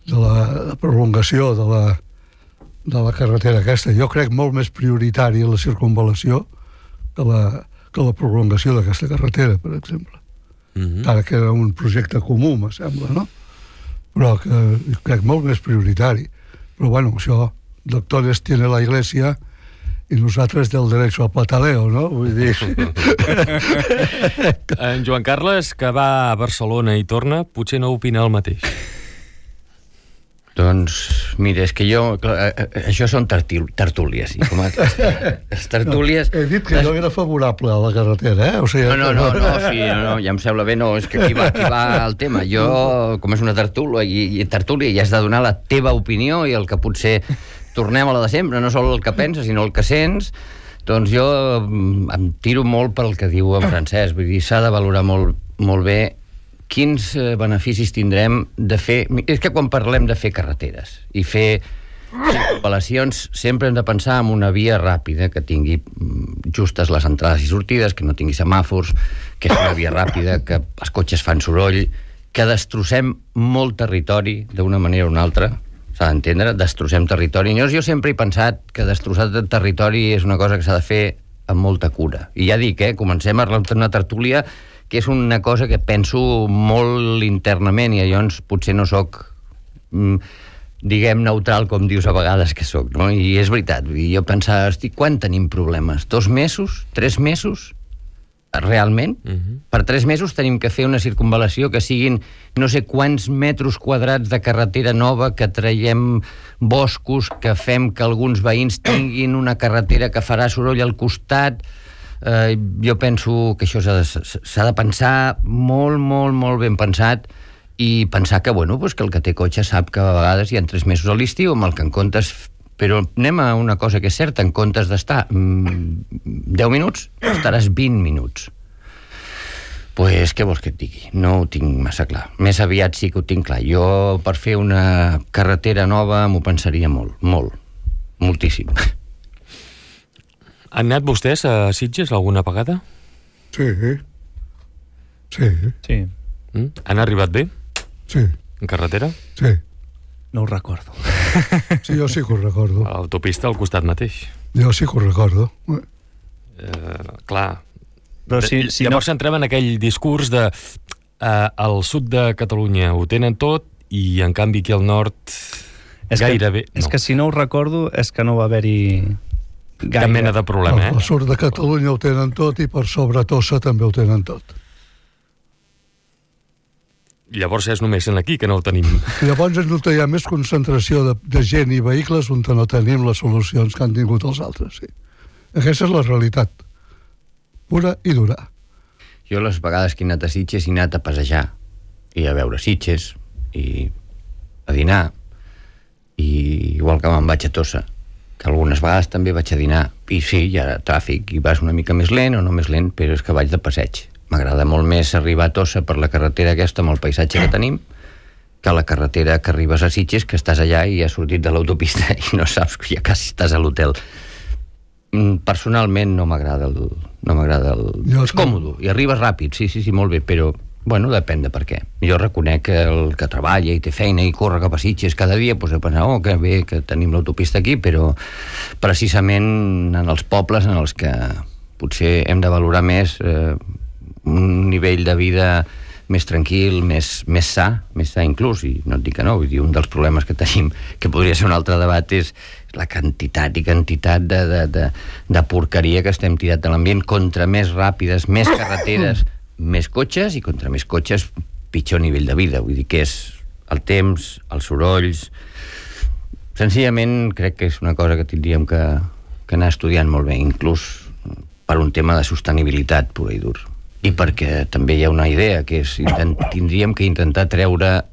Speaker 3: de la prolongació de la carretera aquesta. Jo crec molt més prioritària la circunvalació que la prolongació d'aquesta carretera, per exemple. Ara que era un projecte comú, me sembla, no? Però que crec molt més prioritari. Però, bueno, això, doctores tiene la Iglesia i nosaltres del derecho al pataleo, no? Vull dir...
Speaker 1: En Joan Carles, que va a Barcelona i torna, potser no opina el mateix.
Speaker 4: Doncs, mira, és que jo... això són tertúlies. I com les tertúlies...
Speaker 3: He dit que jo era favorable a la carretera, eh? O sigui,
Speaker 4: No, ja em sembla bé, no, és que aquí va el tema. Jo, com és una tertúlia, i has de donar la teva opinió i el que potser tornem a la de sempre, no sol el que penses, sinó el que sents, doncs jo em tiro molt pel que diu en Francesc. Vull dir, s'ha de valorar molt bé quins beneficis tindrem de fer... És que quan parlem de fer carreteres i fer circunvalacions sempre hem de pensar en una via ràpida que tingui justes les entrades i sortides, que no tingui semàfors, que és una via ràpida, que els cotxes fan soroll, que destrossem molt territori d'una manera o una altra, s'ha d'entendre, destrossem territori. Jo sempre he pensat que destrossar el territori és una cosa que s'ha de fer amb molta cura. I ja dic, comencem a una tertúlia que és una cosa que penso molt internament i llavors potser no soc, diguem, neutral, com dius a vegades que soc, no? I és veritat, jo pensava, quan tenim problemes? 2 mesos? 3 mesos? Realment? Per 3 mesos tenim que fer una circunvalació que siguin no sé quants metres quadrats de carretera nova, que traiem boscos, que fem que alguns veïns tinguin una carretera que farà soroll al costat. Jo penso que això s'ha de pensar molt ben pensat i pensar que, que el que té cotxe sap que a vegades hi ha 3 mesos a l'estiu amb el que en comptes... Però anem a una cosa que és certa, en comptes d'estar 10 minuts, estaràs 20 minuts. Pues què vols que et digui? No ho tinc massa clar. Més aviat sí que ho tinc clar. Jo, per fer una carretera nova, m'ho pensaria moltíssim.
Speaker 1: Han anat vostès a Sitges alguna vegada?
Speaker 3: Sí.
Speaker 1: Han arribat bé?
Speaker 3: Sí.
Speaker 1: En carretera?
Speaker 3: Sí.
Speaker 2: No ho recordo.
Speaker 3: Sí, jo sí que ho recordo.
Speaker 1: A l'autopista al costat mateix.
Speaker 3: Jo sí que ho recordo.
Speaker 1: Clar.
Speaker 2: Però
Speaker 1: llavors entrem en aquell discurs de al sud de Catalunya ho tenen tot i en canvi aquí al nord gairebé...
Speaker 2: És que si no ho recordo és que no va haver-hi
Speaker 1: cap mena de problema,
Speaker 3: Al sud de Catalunya ho tenen tot i per sobre Tossa també ho tenen tot.
Speaker 1: Llavors és només aquí que no ho tenim.
Speaker 3: Llavors és on hi ha més concentració de gent i vehicles on no tenim les solucions que han tingut els altres, sí. Aquesta és la realitat. Pura i dura.
Speaker 4: Jo les vegades que he anat a Sitges he anat a passejar i a veure Sitges i a dinar, i igual que me'n vaig a Tossa, que algunes vegades també vaig a dinar, i sí, hi ha tràfic, i vas una mica més lent o no més lent, però és que vaig de passeig. M'agrada molt més arribar a Tossa per la carretera aquesta amb el paisatge que tenim, que la carretera que arribes a Sitges, que estàs allà i has sortit de l'autopista i no saps que ja quasi estàs a l'hotel. Personalment no m'agrada És còmode, i arribes ràpid, sí, molt bé, però bueno, depèn de per què. Jo reconec que el que treballa i té feina i corre cap a Sitges cada dia, doncs he pensat, que bé que tenim l'autopista aquí, però precisament en els pobles en els que potser hem de valorar més un nivell de vida més tranquil, més sa inclús, i no et dic que no, vull dir, un dels problemes que tenim, que podria ser un altre debat, és la quantitat de porqueria que estem tirant a l'ambient. Contra més ràpides, més carreteres, més cotxes, i contra més cotxes pitjor nivell de vida. Vull dir que és el temps, els sorolls. Senzillament crec que és una cosa que tindríem que anar estudiant molt bé, inclús per un tema de sostenibilitat pura i dur, i perquè també hi ha una idea que és tindríem que intentar treure,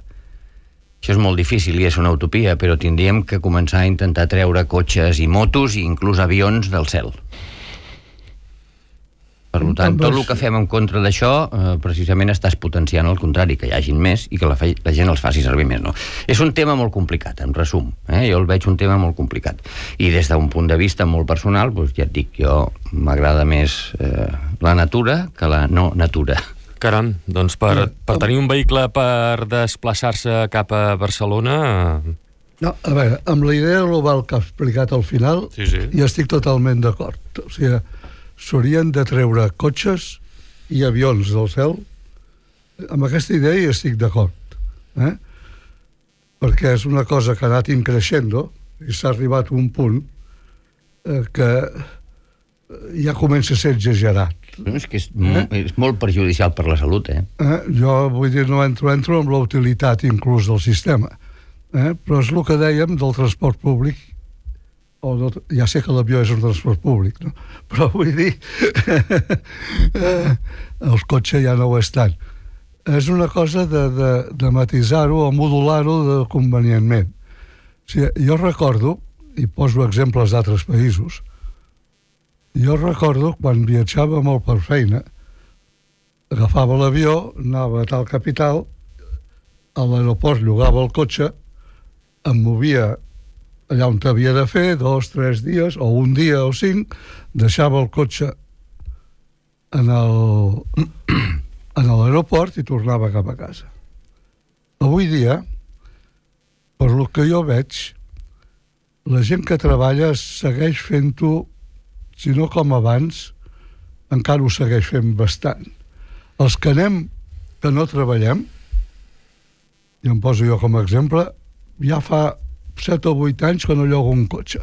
Speaker 4: això és molt difícil i és una utopia, però tindríem que començar a intentar treure cotxes i motos i inclús avions del cel. Per tant, tot el que fem en contra d'això precisament estàs potenciant el contrari, que hi hagin més i que la gent els faci servir més, no? És un tema molt complicat, en resum, jo el veig un tema molt complicat, i des d'un punt de vista molt personal, doncs ja et dic, jo m'agrada més la natura que la no natura.
Speaker 1: Caram, doncs per tenir un vehicle per desplaçar-se cap a Barcelona...
Speaker 3: No, a veure, amb la idea global que ha explicat al final, hi estic totalment d'acord. O sigui, s'haurien de treure cotxes i avions del cel. Amb aquesta idea hi estic d'acord. Perquè és una cosa que ha anat increixent i s'ha arribat a un punt que ja comença a ser exagerat.
Speaker 4: És que és molt perjudicial per la salut,
Speaker 3: Jo vull dir, no entro amb la utilitat inclús del sistema, però és el que dèiem del transport públic. Ja sé que l'avió és un transport públic, no? Però vull dir el cotxe ja no ho és tant. És una cosa de matisar-ho o modular-ho convenientment. O sigui, jo recordo, i poso exemples d'altres països, jo recordo quan viatjava molt per feina, agafava l'avió, anava a tal capital, a l'aeroport llogava el cotxe, em movia allà on havia de fer, 2, 3 dies, o un dia o 5, deixava el cotxe en l'aeroport i tornava cap a casa. Avui dia, per lo que jo veig, la gent que treballa segueix fent-ho, si no com abans, encara ho segueix fent bastant. Els que que no treballem, i em poso jo com a exemple, ja fa 7 o 8 anys que no llogo un cotxe.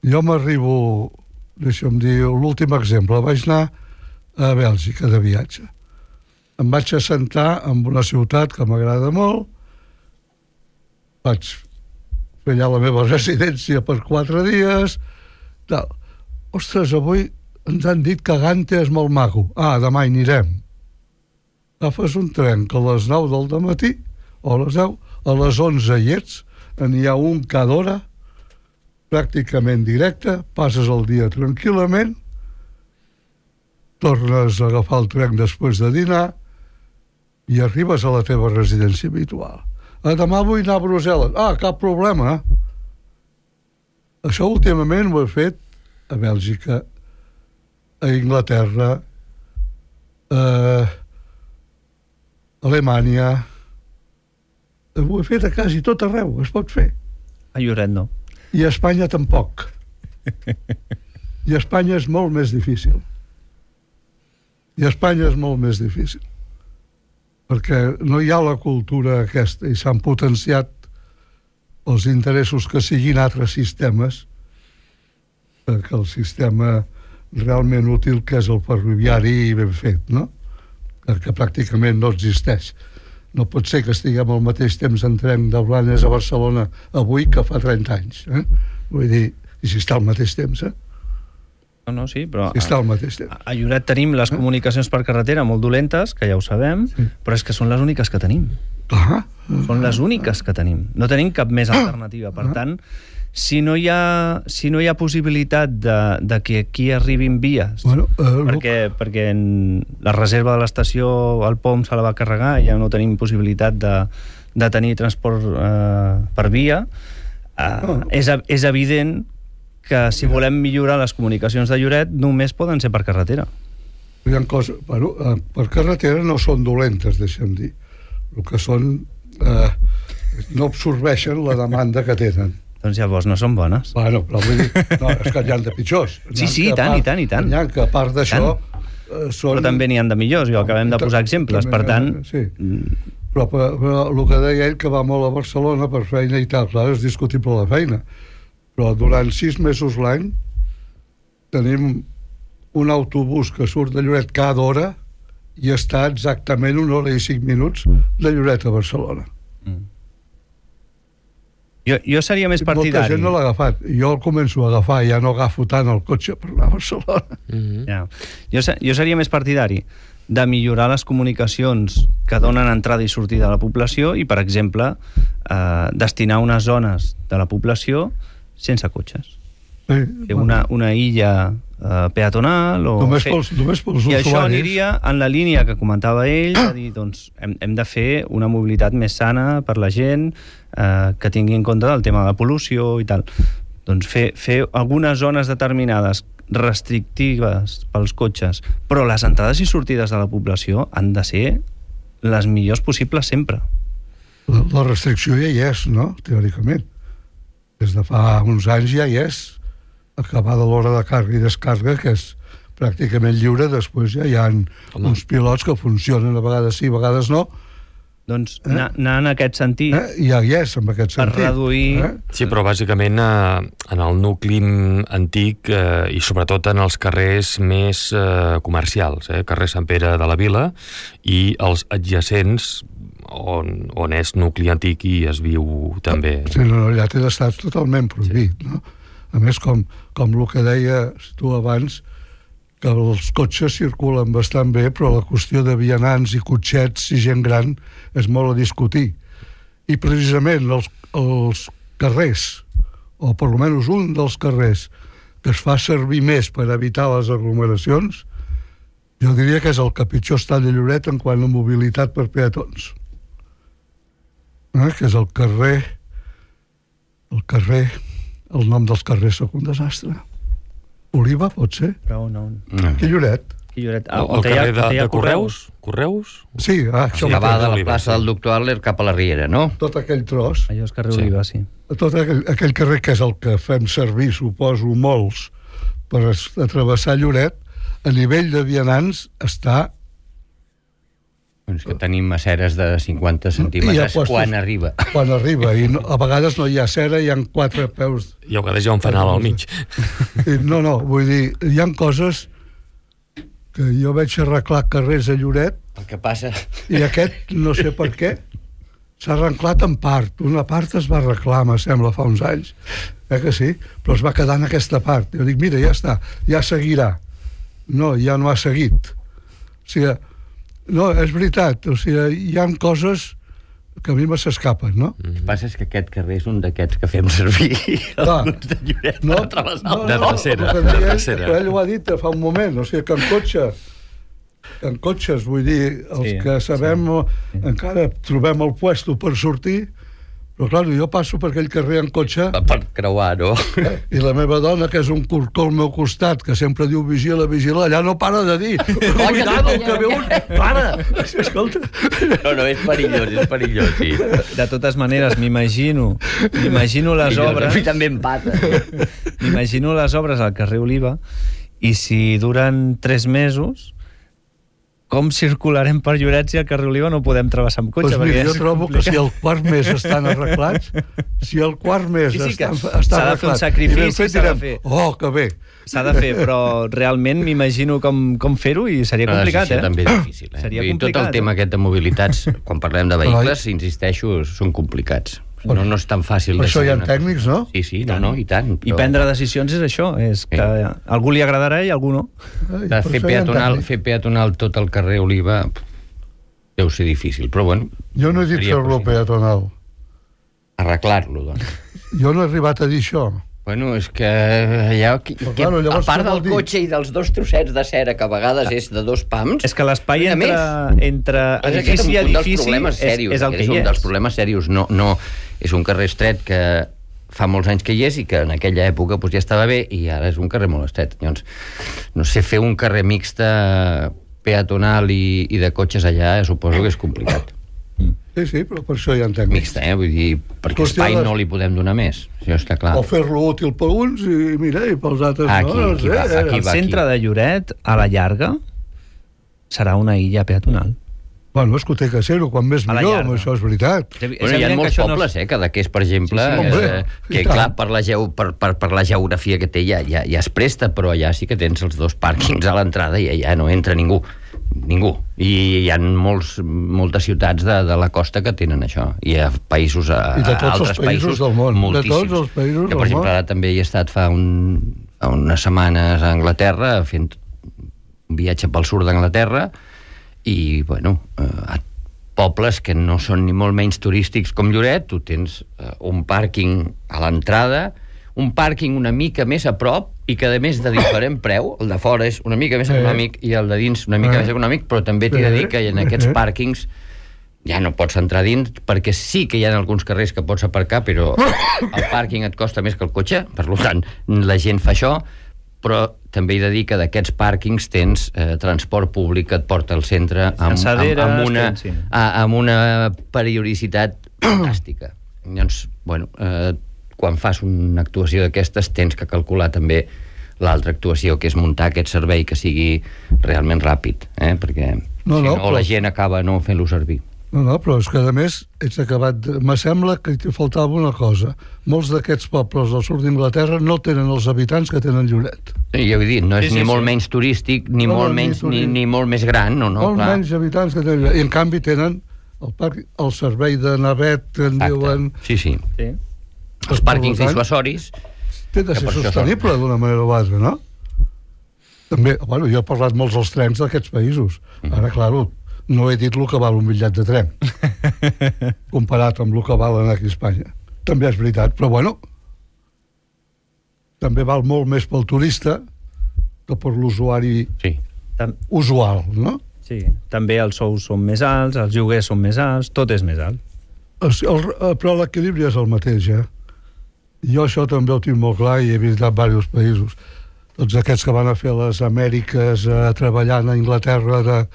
Speaker 3: Jo m'arribo, deixa'm dir, l'últim exemple, vaig anar a Bèlgica de viatge. Em vaig assentar en una ciutat que m'agrada molt, vaig fer allà la meva residència per 4 dies, tal. Ostres, avui ens han dit que Gante és molt maco. Demà hi anirem. Agafes un tren que a les 9 del dematí o a les 10, a les 11 hi ets, n'hi ha un cada hora, pràcticament directe, passes el dia tranquil·lament, tornes a agafar el tren després de dinar i arribes a la teva residència habitual. Demà vull anar a Brussel·les. Cap problema. Això últimament ho he fet a Bèlgica, a Inglaterra, a Alemanya. Ho he fet a quasi tot arreu, es pot fer.
Speaker 2: A Lloret no.
Speaker 3: I a Espanya tampoc. I a Espanya és molt més difícil. Perquè no hi ha la cultura aquesta i s'han potenciat els interessos que siguin altres sistemes, perquè el sistema realment útil que és el ferroviari i ben fet, no? Que pràcticament no existeix. No pot ser que estiguem al mateix temps en tren de Blanes a Barcelona avui que fa 30 anys. Vull dir, i si està al mateix temps,
Speaker 2: No, sí, però
Speaker 3: Està al mateix temps.
Speaker 2: a Lloret tenim les comunicacions per carretera molt dolentes, que ja ho sabem, però és que són les úniques que tenim.
Speaker 3: Clar.
Speaker 2: Són les úniques que tenim. No tenim cap més alternativa. Per tant, si no hi ha possibilitat de que aquí arribin vies, perquè la reserva de l'estació al POM se la va carregar, ja no tenim possibilitat de tenir transport per via, és evident que si volem millorar les comunicacions de Lloret només poden ser per carretera.
Speaker 3: Hi ha coses... per carretera no són dolentes, deixa'm dir. El que són... no absorbeixen la demanda que tenen.
Speaker 2: Doncs llavors no són bones.
Speaker 3: Bueno, però vull dir... No, és que n'hi ha de pitjors.
Speaker 2: Sí, i tant.
Speaker 3: N'hi ha que a part d'això...
Speaker 2: Però també n'hi ha de millors, i acabem de posar exemples, per tant...
Speaker 3: Sí. Però el que deia ell, que va molt a Barcelona per feina i tal, clar, és discutible la feina. Però durant 6 mesos l'any tenim un autobús que surt de Lloret cada hora i està exactament 1 hora i 5 minuts de Lloret a Barcelona.
Speaker 2: Jo seria més partidari.
Speaker 3: Molta gent no l'ha agafat. Jo el començo a agafar, ja no agafo tant el cotxe per anar a Barcelona.
Speaker 2: Ja. Jo seria més partidari de millorar les comunicacions que donen entrada i sortida a la població i, per exemple, destinar unes zones de la població sense cotxes. Una illa peatonal o...
Speaker 3: Només pels usuaris.
Speaker 2: I això aniria en la línia que comentava ell, de dir, doncs, hem de fer una mobilitat més sana per la gent, que tingui en compte el tema de la pol·lució i tal. Doncs fer algunes zones determinades restrictives pels cotxes, però les entrades i sortides de la població han de ser les millors possibles sempre.
Speaker 3: La restricció ja hi és, no?, teòricament. Des de fa uns anys ja hi és. Acabada l'hora de càrrega i descàrrega, que és pràcticament lliure, després ja hi ha uns pilots que funcionen a vegades sí, a vegades no.
Speaker 2: Doncs anar en aquest sentit...
Speaker 3: Ja hi és, en aquest sentit.
Speaker 2: Per reduir...
Speaker 1: Sí, però bàsicament en el nucli antic i sobretot en els carrers més comercials, carrer Sant Pere de la Vila i els adjacents on és nucli antic i es viu també.
Speaker 3: Sí, no, allà té d'estar totalment prohibit, no? A més, com el que deies tu abans, que els cotxes circulen bastant bé, però la qüestió de vianants i cotxets i gent gran és molt a discutir. I precisament els carrers, o per almenys un dels carrers, que es fa servir més per evitar les aglomeracions, jo diria que és el que pitjor està de Lloret en quant a mobilitat per peatons. Que és el el nom dels carrers sóc un desastre. Oliva, pot ser?
Speaker 2: Però no.
Speaker 3: Aquí Lloret.
Speaker 1: El carrer de Correus? Correus?
Speaker 3: Sí,
Speaker 4: això que va de la plaça del Doctor Adler cap a la Riera, no?
Speaker 3: Tot aquell tros.
Speaker 2: Allò és carrer Oliva, sí.
Speaker 3: Tot aquell carrer que és el que fem servir, suposo, molts, per atravessar Lloret, a nivell de vianants està...
Speaker 4: És que tenim aceres de 50 centímetres quan arriba.
Speaker 3: Quan arriba, i a vegades no hi ha acera, hi ha 4 peus...
Speaker 1: I a vegades hi ha un fanal al mig.
Speaker 3: No, vull dir, hi ha coses que jo veig arreglar carrers a Lloret...
Speaker 4: El que passa...
Speaker 3: I aquest, no sé per què, s'ha arreglat en part. Una part es va arreglar, me sembla, fa uns anys. Que sí? Però es va quedar en aquesta part. Jo dic, mira, ja està, ja seguirà. No, ja no ha seguit. O sigui... No, és veritat, o sigui, hi ha coses que a mi me s'escapen, no?
Speaker 4: El que passa és que aquest carrer és un d'aquests que fem servir alguns de Lloret per travessar.
Speaker 1: De tercera.
Speaker 3: Ell ho ha dit fa un moment, o sigui, que en cotxes, vull dir, els que sabem, encara trobem el puesto per sortir, però clar, jo passo per aquell carrer en cotxe...
Speaker 4: Per creuar, no?
Speaker 3: I la meva dona, que és un corcó al meu costat, que sempre diu vigila, allà no para de dir cuidado, que ve un... Para! Escolta...
Speaker 4: No, és perillós, sí.
Speaker 2: De totes maneres, m'imagino les obres...
Speaker 4: A mi també em pata.
Speaker 2: M'imagino les obres al carrer Oliva i si duren 3 mesos... Com circularem per Lloret si al carrer Oliva no podem travessar amb cotxe?
Speaker 3: Doncs mira, jo trobo que si el quart mes estan arreglats,
Speaker 2: s'ha de fer un sacrifici, s'ha de fer.
Speaker 3: Oh, que bé!
Speaker 2: S'ha de fer, però realment m'imagino com fer-ho i seria complicat,
Speaker 4: Sí, també és difícil.
Speaker 2: Seria complicat.
Speaker 4: Tot el tema aquest de mobilitats, quan parlem de vehicles, insisteixo, són complicats. no és tan fàcil
Speaker 3: per això hi ha
Speaker 4: decidir una
Speaker 3: tècnics,
Speaker 4: cosa.
Speaker 3: no?
Speaker 4: Sí, sí, no, i tant.
Speaker 2: I prendre decisions és això, és que a algú li agradarà i a algú no.
Speaker 4: De fer peatonal tot el carrer Oliva deu ser difícil, però bueno...
Speaker 3: Jo no he dit fer-lo peatonal.
Speaker 4: Arreglar-lo, doncs.
Speaker 3: Jo no he arribat a dir això.
Speaker 4: Bueno, és que allà,
Speaker 3: claro,
Speaker 4: a part del cotxe i dels 2 trossets de cera, que a vegades és de 2 pams...
Speaker 2: És que l'espai entre edifici i edifici és el que hi és. És un
Speaker 4: dels problemes serios. No, és un carrer estret que fa molts anys que hi és i que en aquella època ja estava bé i ara és un carrer molt estret. Llavors, no sé, fer un carrer mixta peatonal i de cotxes allà suposo que és complicat.
Speaker 3: Sí, però per això hi ha tècnics.
Speaker 4: Mixta, vull dir, perquè espai no li podem donar més, això està clar.
Speaker 3: O fer-lo útil per uns i, mira, i pels altres no.
Speaker 2: El centre de Lloret, a la llarga, serà una illa peatonal.
Speaker 3: Bueno, és que ho té que ser-ho, quan més millor, això és veritat.
Speaker 4: Bueno, hi ha molts pobles, Cadaqués, per exemple, que clar, per la geografia que té ja es presta, però allà sí que tens els 2 pàrquings a l'entrada i allà no entra ningú. I hi ha moltes ciutats de la costa que tenen això. I hi ha països, altres països
Speaker 3: del món,
Speaker 4: moltíssims.
Speaker 3: De tots els països del món.
Speaker 4: Per exemple, ara també hi he estat fa unes setmanes a Anglaterra fent un viatge pel sud d'Anglaterra i, bueno, pobles que no són ni molt menys turístics com Lloret, tu tens un pàrquing a l'entrada, un pàrquing una mica més a prop i que, a més, de diferent preu, el de fora és una mica més econòmic i el de dins una mica més econòmic, però també t'he de dir que en aquests pàrquings ja no pots entrar dins, perquè sí que hi ha alguns carrers que pots aparcar, però el pàrquing et costa més que el cotxe, per tant, la gent fa això, però també he de dir que d'aquests pàrquings tens transport públic que et porta al centre amb una periodicitat fantàstica. Llavors, bueno, quan fas una actuació d'aquestes tens que calcular també l'altra actuació, que és muntar aquest servei que sigui realment ràpid, perquè la gent acaba no fent-lo servir.
Speaker 3: No, però és que, a més, ets acabat... Me sembla que t'hi faltava una cosa. Molts d'aquests pobles del sud d'Inglaterra no tenen els habitants que tenen Lloret.
Speaker 4: Ja ho he dit, no és ni molt menys turístic, ni molt més gran, no, clar.
Speaker 3: Molt menys habitants que tenen Lloret. I, en canvi, tenen el servei de navet, que en diuen...
Speaker 4: Sí. Els pàrquings dissuasoris...
Speaker 3: Té de ser sostenible d'una manera o altra, no? També, bueno, jo he parlat molts dels trens d'aquests països. Ara, clar, no he dit el que val un bitllet de tren comparat amb el que val aquí a Espanya. També és veritat, però bueno, també val molt més pel turista que per l'usuari usual, no?
Speaker 2: Sí, també els sous són més alts, els lloguers són més alts, tot és més alt.
Speaker 3: Però l'equilibri és el mateix, Jo això també ho tinc molt clar i he visitat diversos països. Tots aquests que van a fer les Amèriques treballant a Anglaterra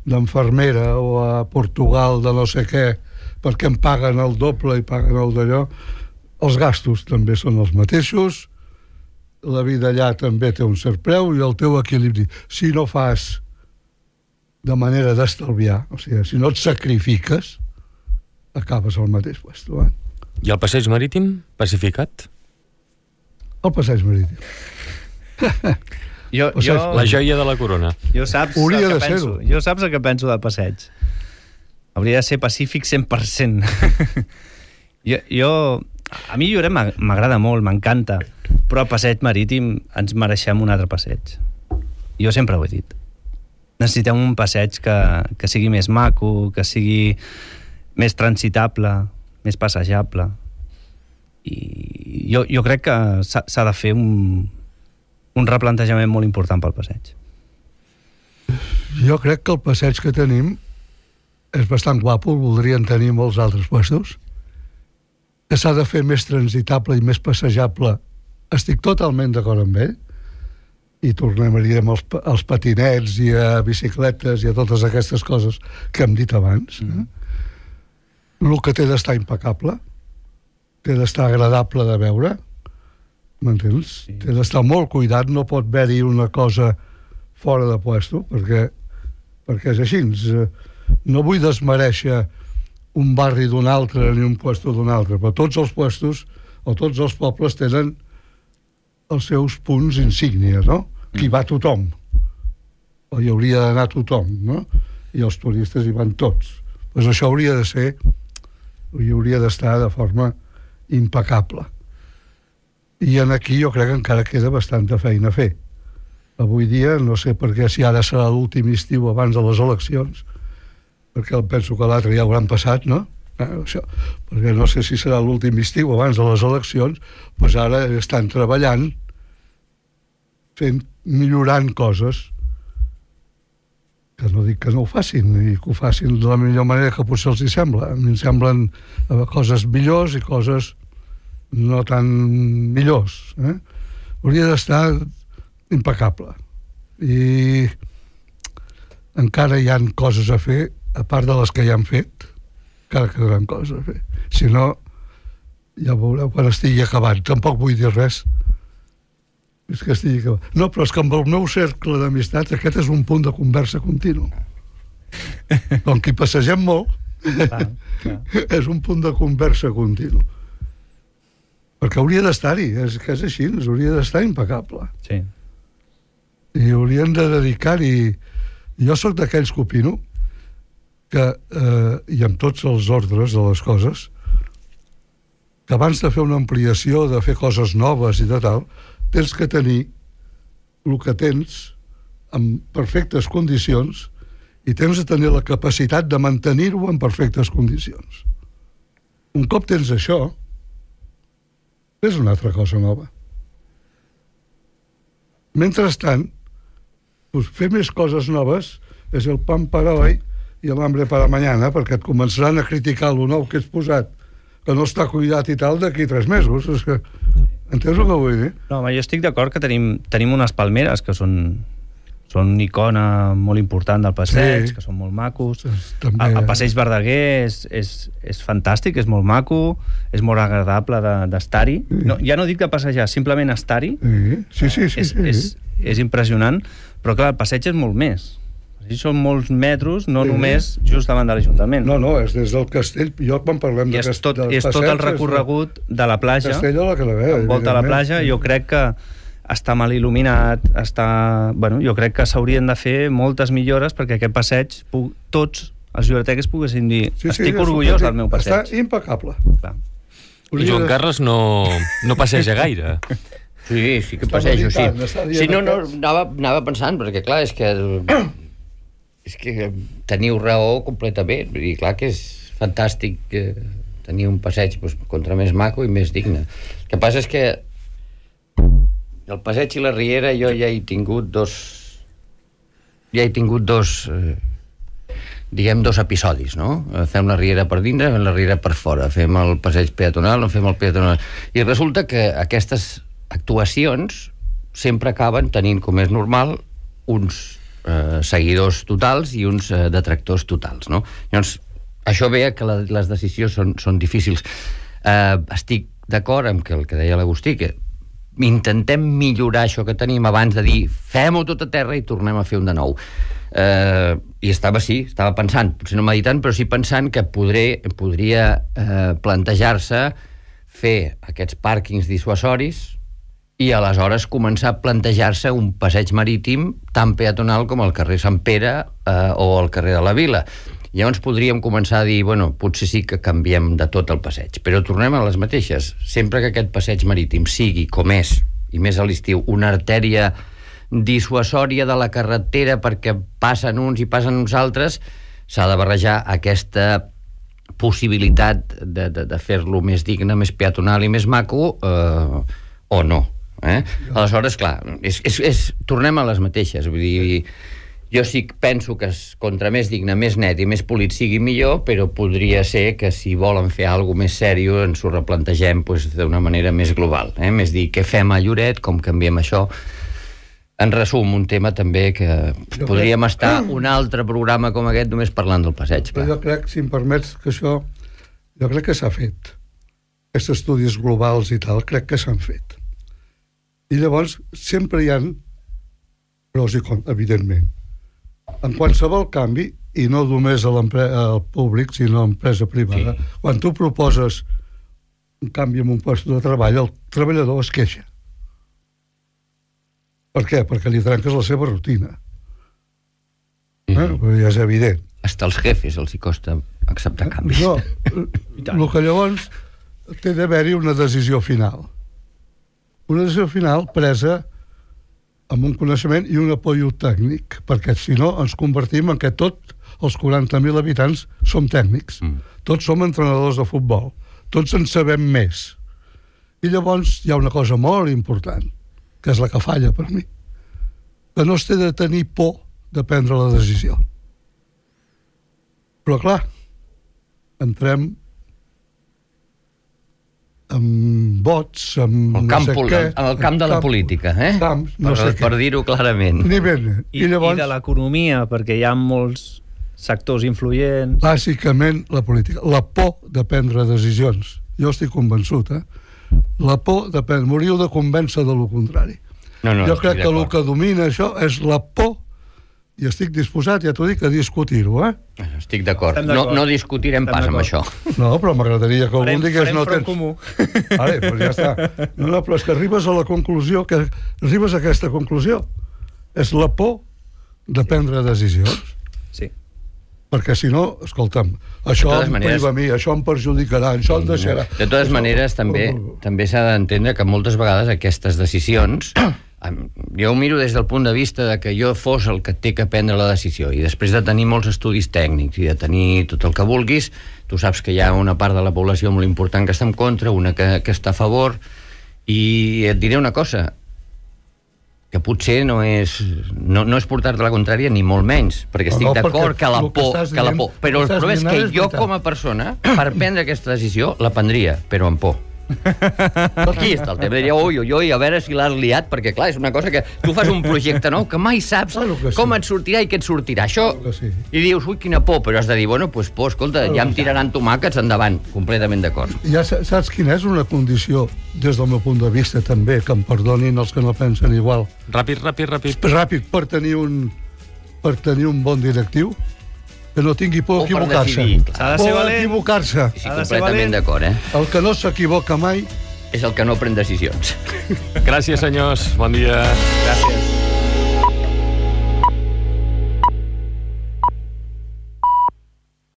Speaker 3: d'enfermera o a Portugal de no sé què, perquè em paguen el doble i paguen el d'allò, els gastos també són els mateixos, la vida allà també té un cert preu i el teu equilibri. Si no fas de manera d'estalviar, o sigui, si no et sacrifiques, acabes al mateix puesto.
Speaker 1: I el passeig marítim pacificat?
Speaker 3: El passeig marítim.
Speaker 1: La joia de la corona.
Speaker 2: Jo saps el que penso del passeig. Hauria de ser pacífic 100%. A mi Lloret m'agrada molt, m'encanta, però el passeig marítim ens mereixem un altre passeig. Jo sempre ho he dit. Necessitem un passeig que sigui més maco, que sigui més transitable, més passejable. I jo crec que s'ha de fer un replantejament molt important pel passeig.
Speaker 3: Jo crec que el passeig que tenim és bastant guapo, voldrien tenir molts altres puestos, que s'ha de fer més transitable i més passejable. Estic totalment d'acord amb ell, i tornarem als patinets i a bicicletes i a totes aquestes coses que hem dit abans. El que té d'estar impecable, té d'estar agradable de veure, m'entens? Sí. Té d'estar molt cuidat, no pot haver-hi una cosa fora de puesto, perquè és així. No vull desmereixer un barri d'un altre ni un puesto d'un altre, però tots els puestos o tots els pobles tenen els seus punts insígnia, no? Hi va tothom, o hi hauria d'anar tothom, no? I els turistes hi van tots. Doncs això hauria de ser, hi hauria d'estar de forma impecable. I aquí jo crec que encara queda bastanta feina a fer. Avui dia, no sé per què, si ara serà l'últim estiu abans de les eleccions, perquè penso que l'altre ja hauran passat, no? Això, perquè no sé si serà l'últim estiu abans de les eleccions, doncs ara estan treballant, millorant coses, que no dic que no ho facin, i que ho facin de la millor manera que potser els hi sembla. A mi em semblen coses millors i coses no tan millors. Hauria d'estar impecable. I encara hi ha coses a fer, a part de les que ja han fet, encara quedaran coses a fer. Si no, ja veureu quan estigui acabant. Tampoc vull dir res. És que estigui acabant. No, però és que amb el meu cercle d'amistats aquest és un punt de conversa continu. Com que hi passegem molt, és un punt de conversa continu. Perquè hauria d'estar-hi, és que és així, hauria d'estar impecable.
Speaker 2: Sí.
Speaker 3: I haurien de dedicar-hi... Jo sóc d'aquells que opino que, i amb tots els ordres de les coses, que abans de fer una ampliació, de fer coses noves i de tal, tens que tenir el que tens en perfectes condicions i tens de tenir la capacitat de mantenir-ho en perfectes condicions. Un cop tens això, és una altra cosa nova. Mentrestant, fer més coses noves és el pan para hoy i l'hambre para mañana, perquè et començaran a criticar lo nou que has posat, que no està cuidat i tal, d'aquí 3 mesos. És que... Entens el que vull dir?
Speaker 2: No, home, jo estic d'acord que tenim unes palmeres que són una icona molt important del passeig, que són molt macos. També... El passeig Verdaguer és fantàstic, és molt maco, és molt agradable d'estar-hi. No, ja no dic de passejar, simplement estar-hi.
Speaker 3: Sí.
Speaker 2: És impressionant, però clar, el passeig és molt més. Són molts metres, no només just davant de l'Ajuntament.
Speaker 3: No, és des del castell. Jo quan parlem
Speaker 2: és tot el recorregut de la platja.
Speaker 3: Castell a la Calavera.
Speaker 2: Envolta la platja, jo crec que està mal il·luminat, jo crec que s'haurien de fer moltes millores perquè aquest passeig, tots els lloretecs poguessin dir estic orgullós del meu passeig.
Speaker 3: Està impecable.
Speaker 2: Clar.
Speaker 1: I Joan Carles no passeja gaire.
Speaker 4: Sí que passejo, sí. Sí, no, anava pensant, perquè clar, és que teniu raó completament. Vull dir, clar que és fantàstic tenir un passeig contra més maco i més digne. El que passa és que el passeig i la riera jo ja he tingut dos episodis, no? Fem la riera per dintre, fem la riera per fora, fem el passeig peatonal, no fem el peatonal. I resulta que aquestes actuacions sempre acaben tenint, com és normal, uns seguidors totals i uns detractors totals, no? Llavors, això ve que les decisions són difícils. Estic d'acord amb el que deia l'Agustí, que intentem millorar això que tenim abans de dir fem-ho tot a terra i tornem a fer un de nou. I estava pensant, potser no meditant, però sí pensant que podria plantejar-se fer aquests pàrquings dissuasoris i aleshores començar a plantejar-se un passeig marítim tan peatonal com el carrer Sant Pere o el carrer de la Vila. Llavors podríem començar a dir, potser sí que canviem de tot el passeig, però tornem a les mateixes. Sempre que aquest passeig marítim sigui, com és, i més a l'estiu, una artèria dissuasòria de la carretera perquè passen uns i passen uns altres, s'ha de barrejar aquesta possibilitat de fer-lo més digne, més peatonal i més maco, o no. Aleshores, clar, tornem a les mateixes. Vull dir, jo sí que penso que contra més digne, més net i més polit sigui millor, però podria ser que si volen fer alguna més sèrio ens ho replantegem d'una manera més global. Més dir, què fem a Lloret, com canviem això. En resum, un tema també que podríem estar un altre programa com aquest només parlant del passeig.
Speaker 3: Però jo crec, si em permets, que això jo crec que s'ha fet. Aquests estudis globals i tal, crec que s'han fet. I llavors sempre hi ha pros i contres, evidentment. En qualsevol canvi, i no només al públic, sinó a l'empresa privada, quan tu proposes un canvi en un lloc de treball, el treballador es queixa. Per què? Perquè li trenques la seva rutina. Ja és evident.
Speaker 4: Hasta els jefes els hi costa acceptar canvis.
Speaker 3: No, el que llavors té d'haver-hi una decisió final. Una decisió final presa amb un coneixement i un apoyo tècnic, perquè si no ens convertim en que tots els 40.000 habitants som tècnics. Tots som entrenadors de futbol. Tots en sabem més. I llavors hi ha una cosa molt important, que és la que falla per mi, que no es té de tenir por de prendre la decisió. Però clar, entrem amb vots, amb
Speaker 4: el camp, no sé què... En el camp de la política,
Speaker 3: Camps, no sé
Speaker 4: per dir-ho clarament.
Speaker 3: I llavors,
Speaker 2: de l'economia, perquè hi ha molts sectors influents...
Speaker 3: Bàsicament, la política. La por de prendre decisions. Jo estic convençut, La por de prendre... M'hauríeu de convèncer de lo contrari. Jo crec que el que domina això és la por, i estic disposat, ja t'ho dic, a discutir-ho,
Speaker 4: Estic d'acord. No discutirem pas amb això.
Speaker 3: No, però m'agradaria que algun digués no tens...
Speaker 2: comú.
Speaker 3: Vale, doncs ja està. No, però és que arribes a la conclusió, que arribes a aquesta conclusió. És la por de prendre decisions.
Speaker 2: Sí.
Speaker 3: Perquè si no, escolta'm, això em priva a mi, això em perjudicarà, això em deixarà...
Speaker 4: De totes maneres, també s'ha d'entendre que moltes vegades aquestes decisions... Jo ho miro des del punt de vista de que jo fos el que té que prendre la decisió, i després de tenir molts estudis tècnics i de tenir tot el que vulguis, tu saps que hi ha una part de la població molt important que està en contra, una que està a favor, i et diré una cosa, que potser no és portar-te la contrària ni molt menys, perquè estic d'acord que la por, però el problema és que jo com a persona, per prendre aquesta decisió, la prendria, però amb por. Aquí està el tema, diria, oi, a veure si l'has liat, perquè clar, és una cosa que tu fas un projecte nou que mai saps com et sortirà i què et sortirà, això, i dius, ui, quina por, però has de dir, bueno, doncs por, escolta, ja em tiraran tomàquets endavant, completament d'acord.
Speaker 3: Ja saps quina és una condició, des del meu punt de vista també, que em perdonin els que no pensen igual.
Speaker 1: Ràpid.
Speaker 3: Ràpid, per tenir un bon directiu, que no tingui por d'equivocar-se.
Speaker 2: S'ha de ser valent.
Speaker 3: Equivocar-se.
Speaker 4: Sí, completament d'acord,
Speaker 3: El que no s'equivoca mai
Speaker 4: és el que no pren decisions.
Speaker 1: Gràcies, senyors. Bon dia.
Speaker 2: Gràcies.